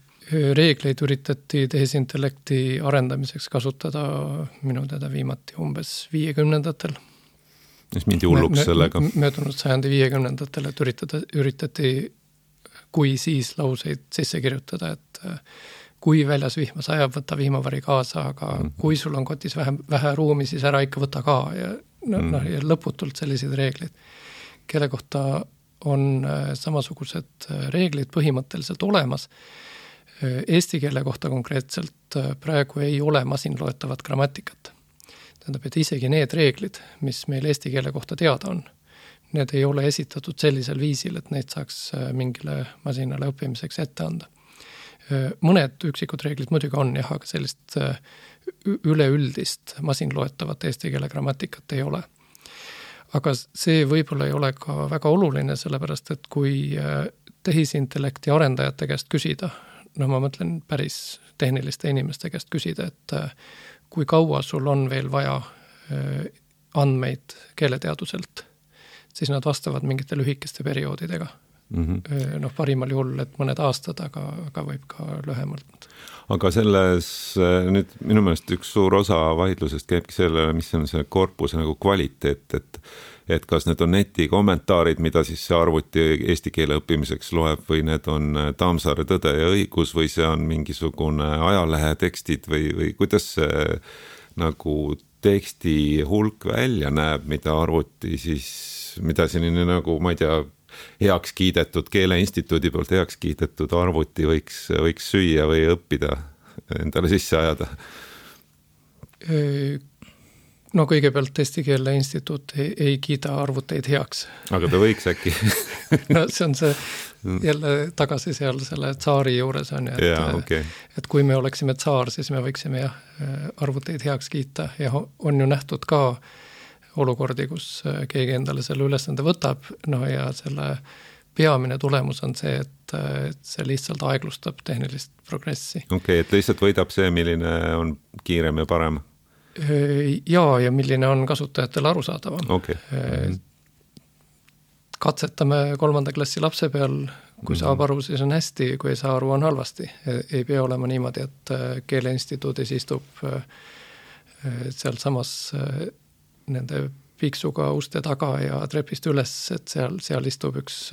B: Reegleid üritati tehisintellekti arendamiseks kasutada minu teda viimati umbes viiekümnendatel.
A: Mis mindi hulluks
B: mö,
A: sellega?
B: Möödunud sajandi viiekümnendatel, et üritada, üritati kui siis lauseid sisse kirjutada, et kui väljas vihma sajab, võta vihmavari kaasa, aga mm -hmm. kui sul on kotis vähe, vähe ruumi, siis ära ikka võta ka ja, no, mm -hmm. no, ja lõputult sellised reeglid, kelle kohta on samasugused reeglid põhimõtteliselt olemas. Eesti keele kohta konkreetselt praegu ei ole masinloetavat grammatikat. Tähendab, et isegi need reeglid, mis meil eesti keele kohta teada on, need ei ole esitatud sellisel viisil, et neid saaks mingile masinale õppimiseks ette anda. Mõned üksikud reeglid muidugi on, jah, aga sellist üleüldist masinloetavat eesti keele grammatikat ei ole. Aga see võib-olla ei ole ka väga oluline, sellepärast et kui tehisintellekti arendajate käest küsida, no ma mõtlen päris tehniliste inimeste käest küsida, et kui kaua sul on veel vaja andmeid keeleteaduselt, siis nad vastavad mingite lühikeste perioodidega. Mm-hmm. Noh, parimal juhul, et mõned aastad, aga, aga võib ka lühemalt.
A: Aga selles nüüd minu meelest üks suur osa vaidlusest käibki selle, mis on see korpuse nagu kvaliteet, et, et kas need on neti kommentaarid, mida siis see arvuti eesti keele õppimiseks loeb või need on Tammsaare Tõde ja õigus või see on mingisugune ajalehe tekstid või, või kuidas see nagu teksti hulk välja näeb, mida arvuti siis, mida selline nagu, ma ei tea, heaks kiidetud, Keeleinstituudi poolt heaks kiidetud arvuti võiks, võiks süüa või õppida, endale sisse ajada?
B: No kõigepealt Eesti Keele Instituut ei, ei kiida arvuteid heaks.
A: Aga ta võiks äkki?
B: No see on see jälle tagasi seal selle tsaari juures on, et,
A: ja, okay.
B: et kui me oleksime tsaar, siis me võiksime jah, arvuteid heaks kiita ja on ju nähtud ka olukordi, kus keegi endale selle ülesande võtab, no ja selle peamine tulemus on see, et, et see lihtsalt aeglustab tehnilist progressi.
A: Okei, okay, et lihtsalt võidab see, milline on kiirem ja parem?
B: Jaa, ja milline on kasutajatele arusaadavam.
A: Okay.
B: Katsetame kolmanda klassi lapse peal, kui saab aru, siis on hästi, kui ei saa aru, on halvasti. Ei pea olema niimoodi, et Keeleinstituudis istub seal samas nende piksuga uste taga ja trepist üles, et seal, seal istub üks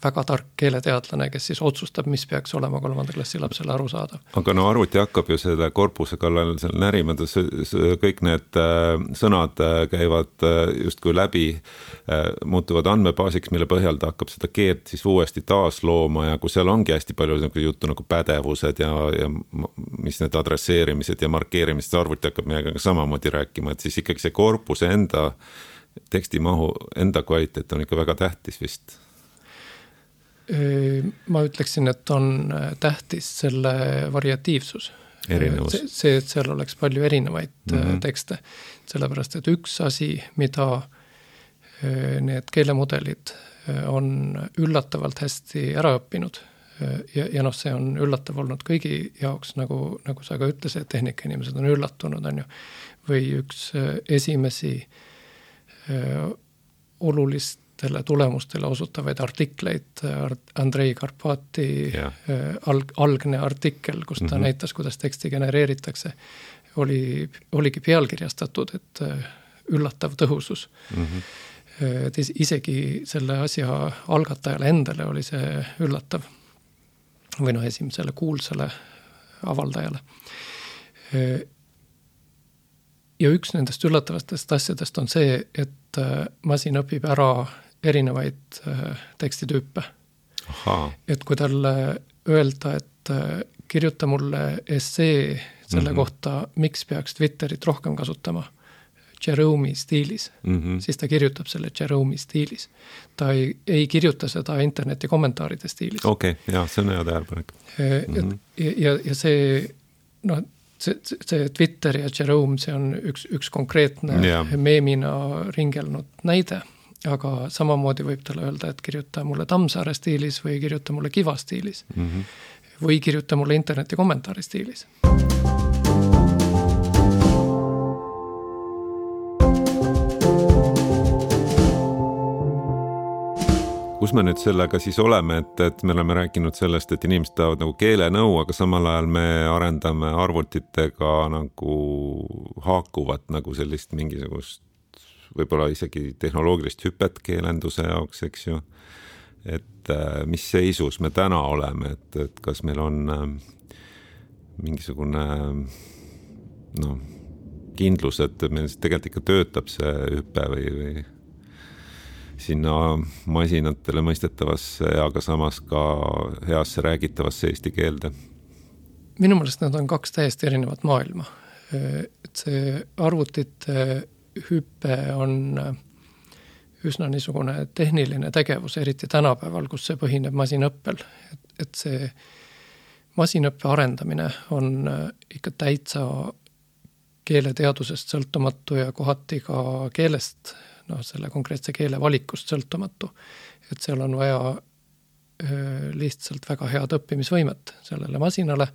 B: väga tark keeleteadlane, kes siis otsustab, mis peaks olema kolmanda klassi lapsele aru saada.
A: Aga no arvuti hakkab ju selle korpuse kallal seal närima, kõik need sõnad käivad justkui läbi, muutuvad andmebaasiks, mille põhjal ta hakkab seda keelt siis uuesti taas looma ja kui seal ongi hästi palju juttu nagu pädevused ja, ja mis need adresseerimised ja markeerimised, arvuti hakkab meiega samamoodi rääkima, et siis ikkagi see korpuse enda tekstimahu, enda kvaliteet on ikka väga tähtis vist.
B: Ma ütleksin, et on tähtis selle variatiivsus.
A: Erinevus.
B: See, see, et seal oleks palju erinevaid mm-hmm. tekste. Sellepärast, et üks asi, mida need keelemudelid on üllatavalt hästi ära õppinud ja, ja noh, see on üllatav olnud kõigi jaoks, nagu, nagu sa ka ütlesid, et tehnikainimesed on üllatunud, on ju. Või üks esimesi olulist tulemustele osutavaid artikleid, Andrei Karpati yeah. alg, algne artikkel, kus ta mm-hmm. näitas, kuidas teksti genereeritakse, oli, oligi pealkirjastatud, et üllatav tõhusus. Mm-hmm. Et isegi selle asja algatajale endale oli see üllatav. Või noh, esimesele kuulsale avaldajale. Ja üks nendest üllatavatest asjadest on see, et masin õpib ära erinevaid tekstitüüpe. Aha. Et kui talle öelda, et kirjuta mulle essee selle mm-hmm. kohta, miks peaks Twitterit rohkem kasutama Jerome'i stiilis, mm-hmm. siis ta kirjutab selle Jerome'i stiilis. Ta ei, ei kirjuta seda interneti kommentaaride stiilis.
A: Okei, okay, jah, see on hea tähelepanek.
B: Mm-hmm. Ja, ja see, noh, see, see Twitter ja Jerome, see on üks, üks konkreetne yeah. meemina ringelnud näide. Aga samamoodi võib talle öelda, et kirjuta mulle Tammsaare stiilis või kirjuta mulle Kiva stiilis mm-hmm. või kirjuta mulle interneti kommentaari stiilis.
A: Kus me nüüd sellega siis oleme, et, et me oleme rääkinud sellest, et inimesed tahavad nagu keelenõu, aga samal ajal me arendame arvutitega nagu haakuvat nagu sellist mingisugust võib-olla isegi tehnoloogilist hüpet keelenduse jaoks, eks ju, et mis seisus me täna oleme, et, et kas meil on mingisugune no, kindlus, et meil tegelikult ikka töötab see hüpe või, või sinna masinatele mõistetavasse, aga samas ka heasse räägitavasse eesti keelde?
B: Minu meelest need on kaks täiesti erinevat maailma. Et see arvutite hüpe on üsna niisugune tehniline tegevus, eriti tänapäeval, kus see põhineb masinõppel. Et, et see masinõppe arendamine on ikka täitsa keeleteadusest sõltumatu ja kohati ka keelest, noh, selle konkreetse keele valikust sõltumatu. Et seal on vaja öö, lihtsalt väga head õppimisvõimet sellele masinale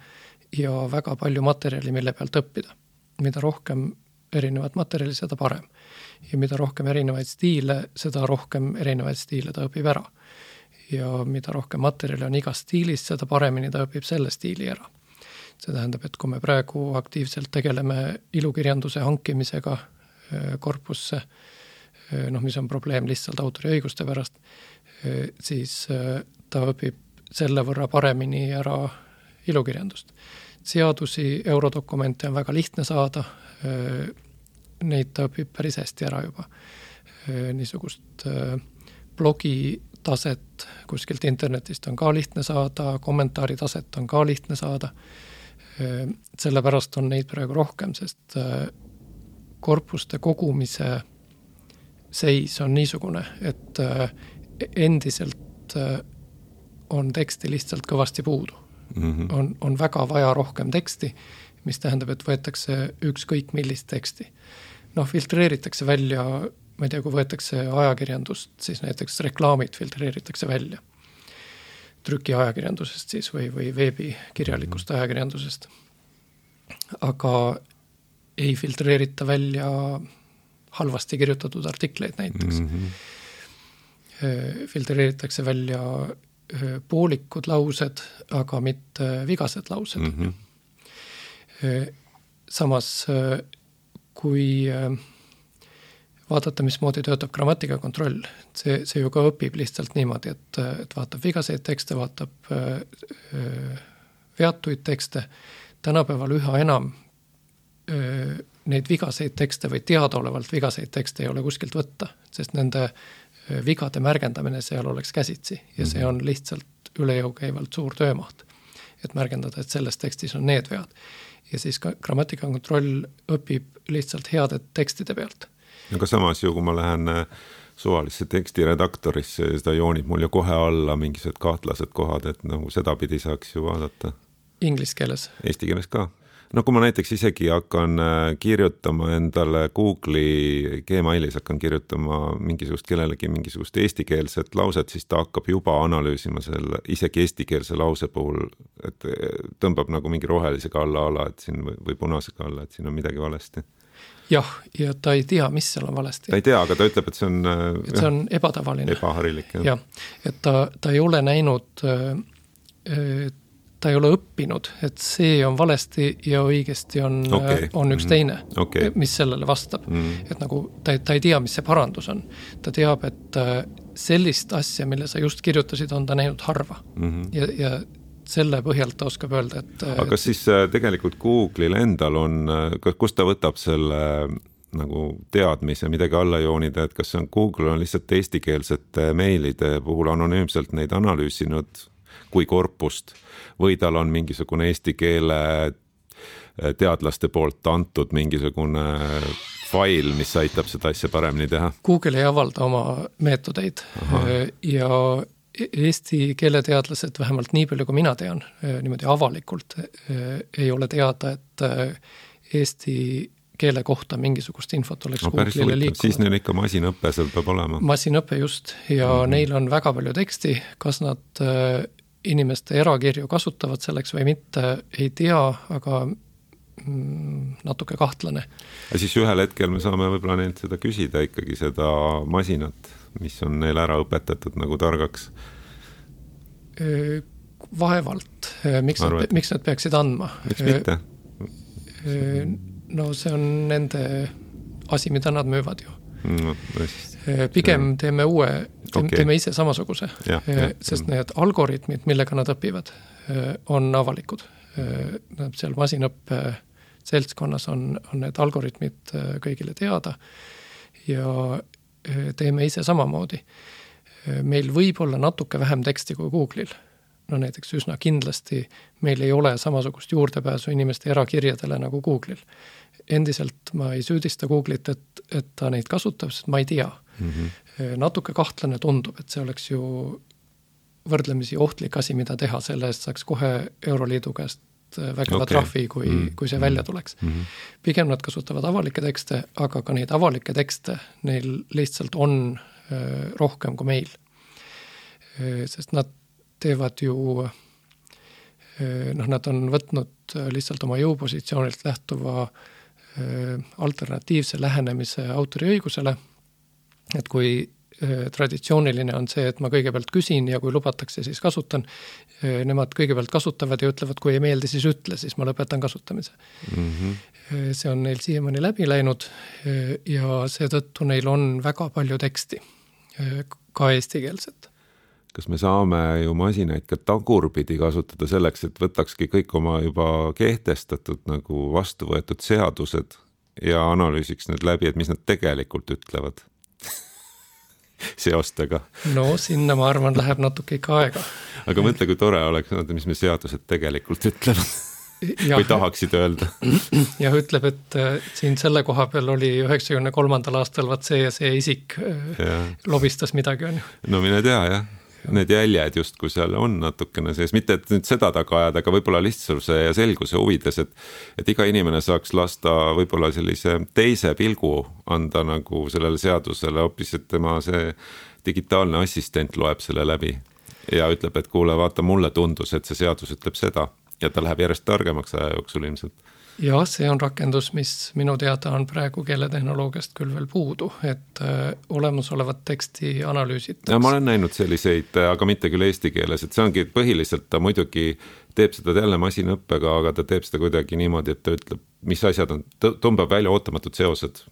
B: ja väga palju materjali, mille pealt õppida. Mida rohkem erinevat materjali, seda parem. Ja mida rohkem erinevaid stiile, seda rohkem erinevaid stiile ta õpib ära. Ja mida rohkem materjali on igas stiilis, seda paremini ta õpib selle stiili ära. See tähendab, et kui me praegu aktiivselt tegeleme ilukirjanduse hankimisega korpusse, noh, mis on probleem lihtsalt autoriõiguste pärast, siis ta õpib selle võrra paremini ära ilukirjandust. Seadusi, eurodokumente on väga lihtne saada, neid ta õpib päris hästi ära juba. Niisugust blogi taset kuskilt internetist on ka lihtne saada, kommentaari taset on ka lihtne saada. Sellepärast on neid praegu rohkem, sest korpuste kogumise seis on niisugune, et endiselt on teksti lihtsalt kõvasti puudu. Mm-hmm. On, on väga vaja rohkem teksti, mis tähendab, et võetakse ükskõik millist teksti. Noh, filtreeritakse välja, ma ei tea, kui võetakse ajakirjandust, siis näiteks reklaamid filtreeritakse välja. Trüki ajakirjandusest siis või, või veebikirjalikust mm-hmm. ajakirjandusest. Aga ei filtreerita välja halvasti kirjutatud artikleid näiteks. Mm-hmm. Filtreeritakse välja poolikud laused, aga mitte vigased laused. Mm-hmm. Samas, kui vaadata, mismoodi töötab grammatikakontroll, see, see ju ka õpib lihtsalt niimoodi, et, et vaatab vigaseid tekste, vaatab veatuid tekste. Tänapäeval üha enam neid vigaseid tekste või teadaolevalt vigaseid tekste ei ole kuskilt võtta, sest nende vigade märgendamine seal oleks käsitsi ja see on lihtsalt üle jõu käivalt suur töömaht, et märgendada, et selles tekstis on need vead. Ja siis ka grammatikakontroll õpib lihtsalt heade tekstide pealt.
A: Aga samas ju, kui ma lähen suvalisse tekstiredaktorisse, seda joonib mul ju kohe alla mingisugused kahtlased kohad, et nagu seda pidi saaks ju vaadata.
B: Inglis keeles?
A: Eesti keeles ka. No kui ma näiteks isegi hakkan kirjutama endale Google'i Gmailis, hakkan kirjutama mingisugust kellelegi mingisugust eestikeelset lauset, siis ta hakkab juba analüüsima selle isegi eestikeelse lause puhul, et tõmbab nagu mingi rohelisega alla ala, et siin või, või punasega alla, et siin on midagi valesti.
B: Jah, ja ta ei tea, mis seal on valesti.
A: Ta ei tea, aga ta ütleb, et see on,
B: et see on ebatavaline.
A: Ebaharilik. Jah.
B: Ja, et ta, ta ei ole näinud ta ei ole õppinud, et see on valesti ja õigesti on, okay. on üks teine, okay. mis sellele vastab. Mm. Et nagu ta, ta ei tea, mis see parandus on. Ta teab, et sellist asja, mille sa just kirjutasid, on ta näinud harva. Mm-hmm. Ja, ja selle põhjalt ta oskab öelda, et...
A: Aga kas siis tegelikult Google'il endal on, kus ta võtab selle nagu teadmise, midagi alla joonida, et kas on Google on lihtsalt eestikeelsete meilide puhul anonüümselt neid analüüsinud kui korpust või tal on mingisugune eesti keele teadlaste poolt antud mingisugune fail, mis aitab seda asja paremini teha?
B: Google ei avalda oma meetodeid. Aha. Ja eesti keeleteadlased vähemalt nii palju, kui mina tean, niimoodi avalikult ei ole teada, et eesti keele kohta mingisugust infot oleks no, Google'ile liikunud.
A: Siis neil ikka masinõppe seal peab olema.
B: Masinõppe just ja mm-hmm. neil on väga palju teksti, kas nad inimeste erakirju kasutavad selleks või mitte, ei tea, aga mm, natuke kahtlane.
A: Ja siis ühel hetkel me saame võib-olla neilt seda küsida ikkagi seda masinat, mis on neil ära õpetatud nagu targaks?
B: Vaevalt. Miks, Arvet. nad, miks nad peaksid andma?
A: Miks mitte?
B: No see on nende asi, mida nad müüvad ju.
A: no,.
B: Pigem teeme uue, teeme,
A: okay.
B: teeme ise samasuguse,
A: ja, ja,
B: sest ja. Need algoritmid, millega nad õpivad, on avalikud. Seal masinõppe seltskonnas on, on need algoritmid kõigile teada ja teeme ise samamoodi. Meil võib olla natuke vähem teksti kui Google'il. No näiteks üsna kindlasti meil ei ole samasugust juurdepääsu inimeste erakirjadele nagu Google'il. Endiselt ma ei süüdista Google'it, et, et ta neid kasutab, sest ma ei tea. Mm-hmm. Natuke kahtlane tundub, et see oleks ju võrdlemisi ohtlik asi, mida teha, selle eest saaks kohe Euroliidu käest vägeva okay. trahvi, kui, mm-hmm. kui see välja tuleks. Mm-hmm. Pigem nad kasutavad avalikke tekste, aga ka neid avalikke tekste neil lihtsalt on äh, rohkem kui meil. Äh, sest nad teevad ju, äh, noh, nad on võtnud lihtsalt oma jõupositsioonilt lähtuva äh, alternatiivse lähenemise autoriõigusele, et kui äh, traditsiooniline on see, et ma kõigepealt küsin ja kui lubatakse, siis kasutan, äh, nemad kõigepealt kasutavad ja ütlevad, kui ei meeldi, siis ütle, siis ma lõpetan kasutamise. Mm-hmm. Äh, see on neil siiamaani läbi läinud äh, ja seetõttu neil on väga palju teksti, äh, ka eestikeelset.
A: Kas me saame ju masinaid ka tagurpidi kasutada selleks, et võtakski kõik oma juba kehtestatud nagu vastu võetud seadused ja analüüsiks need läbi, et mis nad tegelikult ütlevad seostega? No
B: sinna ma arvan, läheb natuke ikka aega.
A: Aga mõtle, kui tore oleks, mis me seadused tegelikult ütlevad. Või tahaksid öelda.
B: Ja ütleb, et siin selle koha peal oli üheksakümne kolmandal aastal vaat see ja see isik ja. Lobistas midagi. On.
A: No mine tea, jah. Need jäljed just, kui seal on natukene sees, mitte et nüüd seda taga ajada, aga võib-olla lihtsuse ja selguse huvides, et, et iga inimene saaks lasta võib-olla sellise teise pilgu anda nagu sellele seadusele, hoopis, et tema see digitaalne assistent loeb selle läbi ja ütleb, et kuule, vaata, mulle tundus, et see seadus ütleb seda ja ta läheb järjest targemaks aja jooksul ilmselt.
B: Ja see on rakendus, mis minu teada on praegu keeletehnoloogiast küll veel puudu, et äh, olemasolevat teksti analüüsitakse.
A: Ja ma olen näinud selliseid, aga mitte küll eesti keeles, et see ongi põhiliselt, ta muidugi teeb seda jälle masinõppega, aga ta teeb seda kuidagi niimoodi, et ta ütleb, mis asjad on, tõmbab välja ootamatud seosed,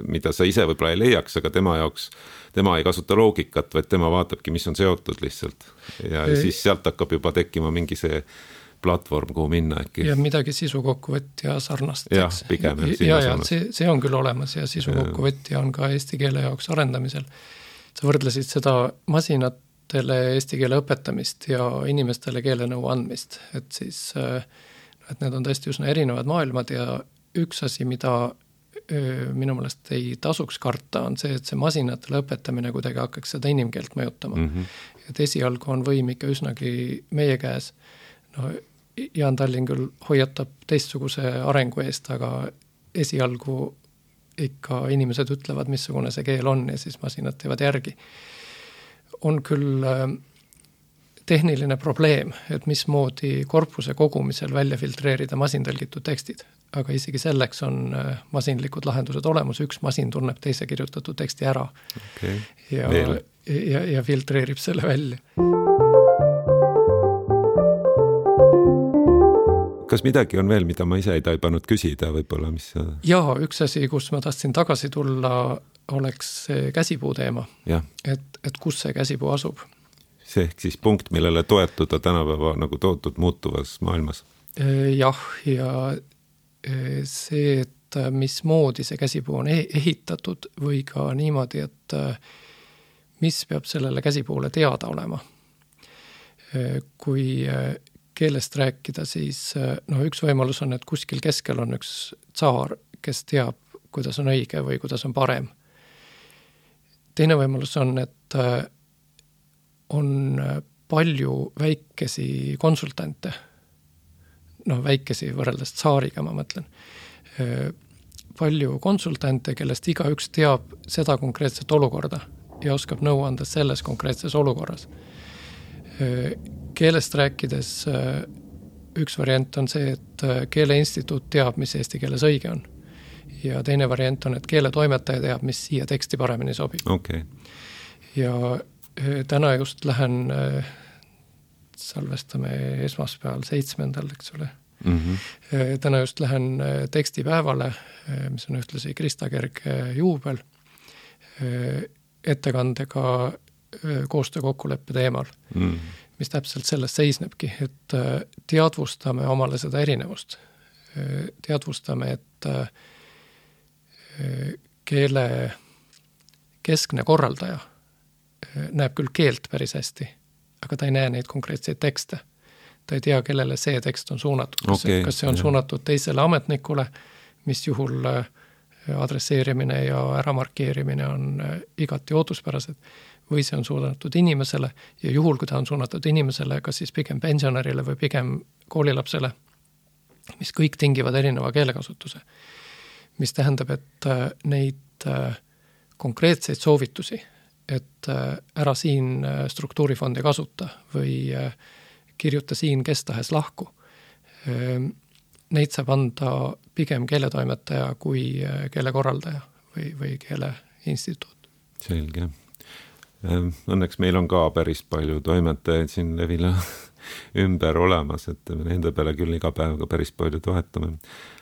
A: mida sa ise võib-olla ei leiaks, aga tema jaoks, tema ei kasuta loogikat, vaid tema vaatabki, mis on seotud lihtsalt. Ja ei. Siis sealt hakkab juba tekkima mingi see platvorm, kuhu minna äkki. Ja
B: midagi sisukokkuvõtja sarnast.
A: Jah, pigem.
B: Ja, ja see, see on küll olemas ja sisukokkuvõtja on ka eesti keele jaoks arendamisel. Sa võrdlesid seda masinatele eesti keele õpetamist ja inimestele keelenõu andmist. Et siis, et need on tõesti üsna erinevad maailmad ja üks asi, mida minu meelest ei tasuks karta, on see, et see masinatele õpetamine kuidagi hakkaks seda inimkeelt mõjutama. Mm-hmm. Et esialgu on võim ikka üsnagi meie käes. No, Jaan Tallinn küll hoiatab teistsuguse arengu eest, aga esialgu ikka inimesed ütlevad, missugune see keel on ja siis masinad teevad järgi. On küll tehniline probleem, et mismoodi korpuse kogumisel välja filtreerida masintõlgitud tekstid. Aga isegi selleks on masinlikud lahendused olemas, üks masin tunneb teise kirjutatud teksti ära okay. ja, ja, ja filtreerib selle välja.
A: Kas midagi on veel, mida ma ise ei taibanud küsida võib-olla, mis...
B: Jaa, üks asi, kus ma tahtsin tagasi tulla, oleks see käsipuu teema. Et, et kus see käsipuu asub?
A: See ehk siis punkt, millele toetuda tänapäeva nagu tootut muutuvas maailmas.
B: Jah, ja see, et mismoodi see käsipuu on ehitatud või ka niimoodi, et mis peab sellele käsipuule teada olema. Kui keelest rääkida, siis no, üks võimalus on, et kuskil keskel on üks tsaar, kes teab, kuidas on õige või kuidas on parem. Teine võimalus on, et on palju väikesi konsultante, noh väikesi võrreldes tsaariga, ma mõtlen, palju konsultante, kellest iga üks teab seda konkreetset olukorda ja oskab nõu anda selles konkreetses olukorras. Keelest rääkides üks variant on see, et keeleinstituut teab, mis eesti keeles õige on. Ja teine variant on, et keeletoimetaja teab, mis siia teksti paremini sobib.
A: Okay.
B: Ja täna just lähen, salvestame esmaspäeval seitsmendal, eks ole, Mm -hmm. Täna just lähen tekstipäevale, mis on ühtlasi Krista Kerg juubel, ettekandega koostöö kokkuleppe teemal, mm. mis täpselt sellest seisnebki, et teadvustame omale seda erinevust. Teadvustame, et keele keskne korraldaja näeb küll keelt päris hästi, aga ta ei näe neid konkreetseid tekste. Ta ei tea, kellele see tekst on suunatud. Kas, okay, kas see on jah. suunatud teisele ametnikule, mis juhul adresseerimine ja äramarkeerimine on igati ootuspärased, või see on suunatud inimesele ja juhul, kui ta on suunatud inimesele, kas siis pigem pensionärile või pigem koolilapsele, mis kõik tingivad erineva keelekasutuse. Mis tähendab, et neid konkreetseid soovitusi, et ära siin struktuurifondi kasuta või kirjuta siin kes tahes lahku. Neid saab anda pigem keeletoimetaja kui keelekorraldaja või, või keeleinstituut.
A: Selge. Õnneks meil on ka päris palju toimetajaid siin Levila ümber olemas, et me nende peale küll iga päev ka päris palju toetame.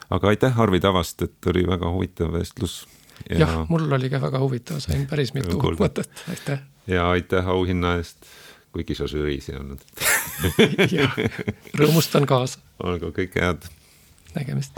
A: Aga aitäh, Arvi Tavast, et oli väga huvitav vestlus.
B: Ja... Jah, mul oli ka väga huvitav, sain päris mitu mõtet. Aitäh.
A: Ja aitäh auhinna eest, kuigi sa žüriis ei olnud.
B: Jah, rõõmustan kaasa.
A: Olgu kõik head.
B: Nägemist.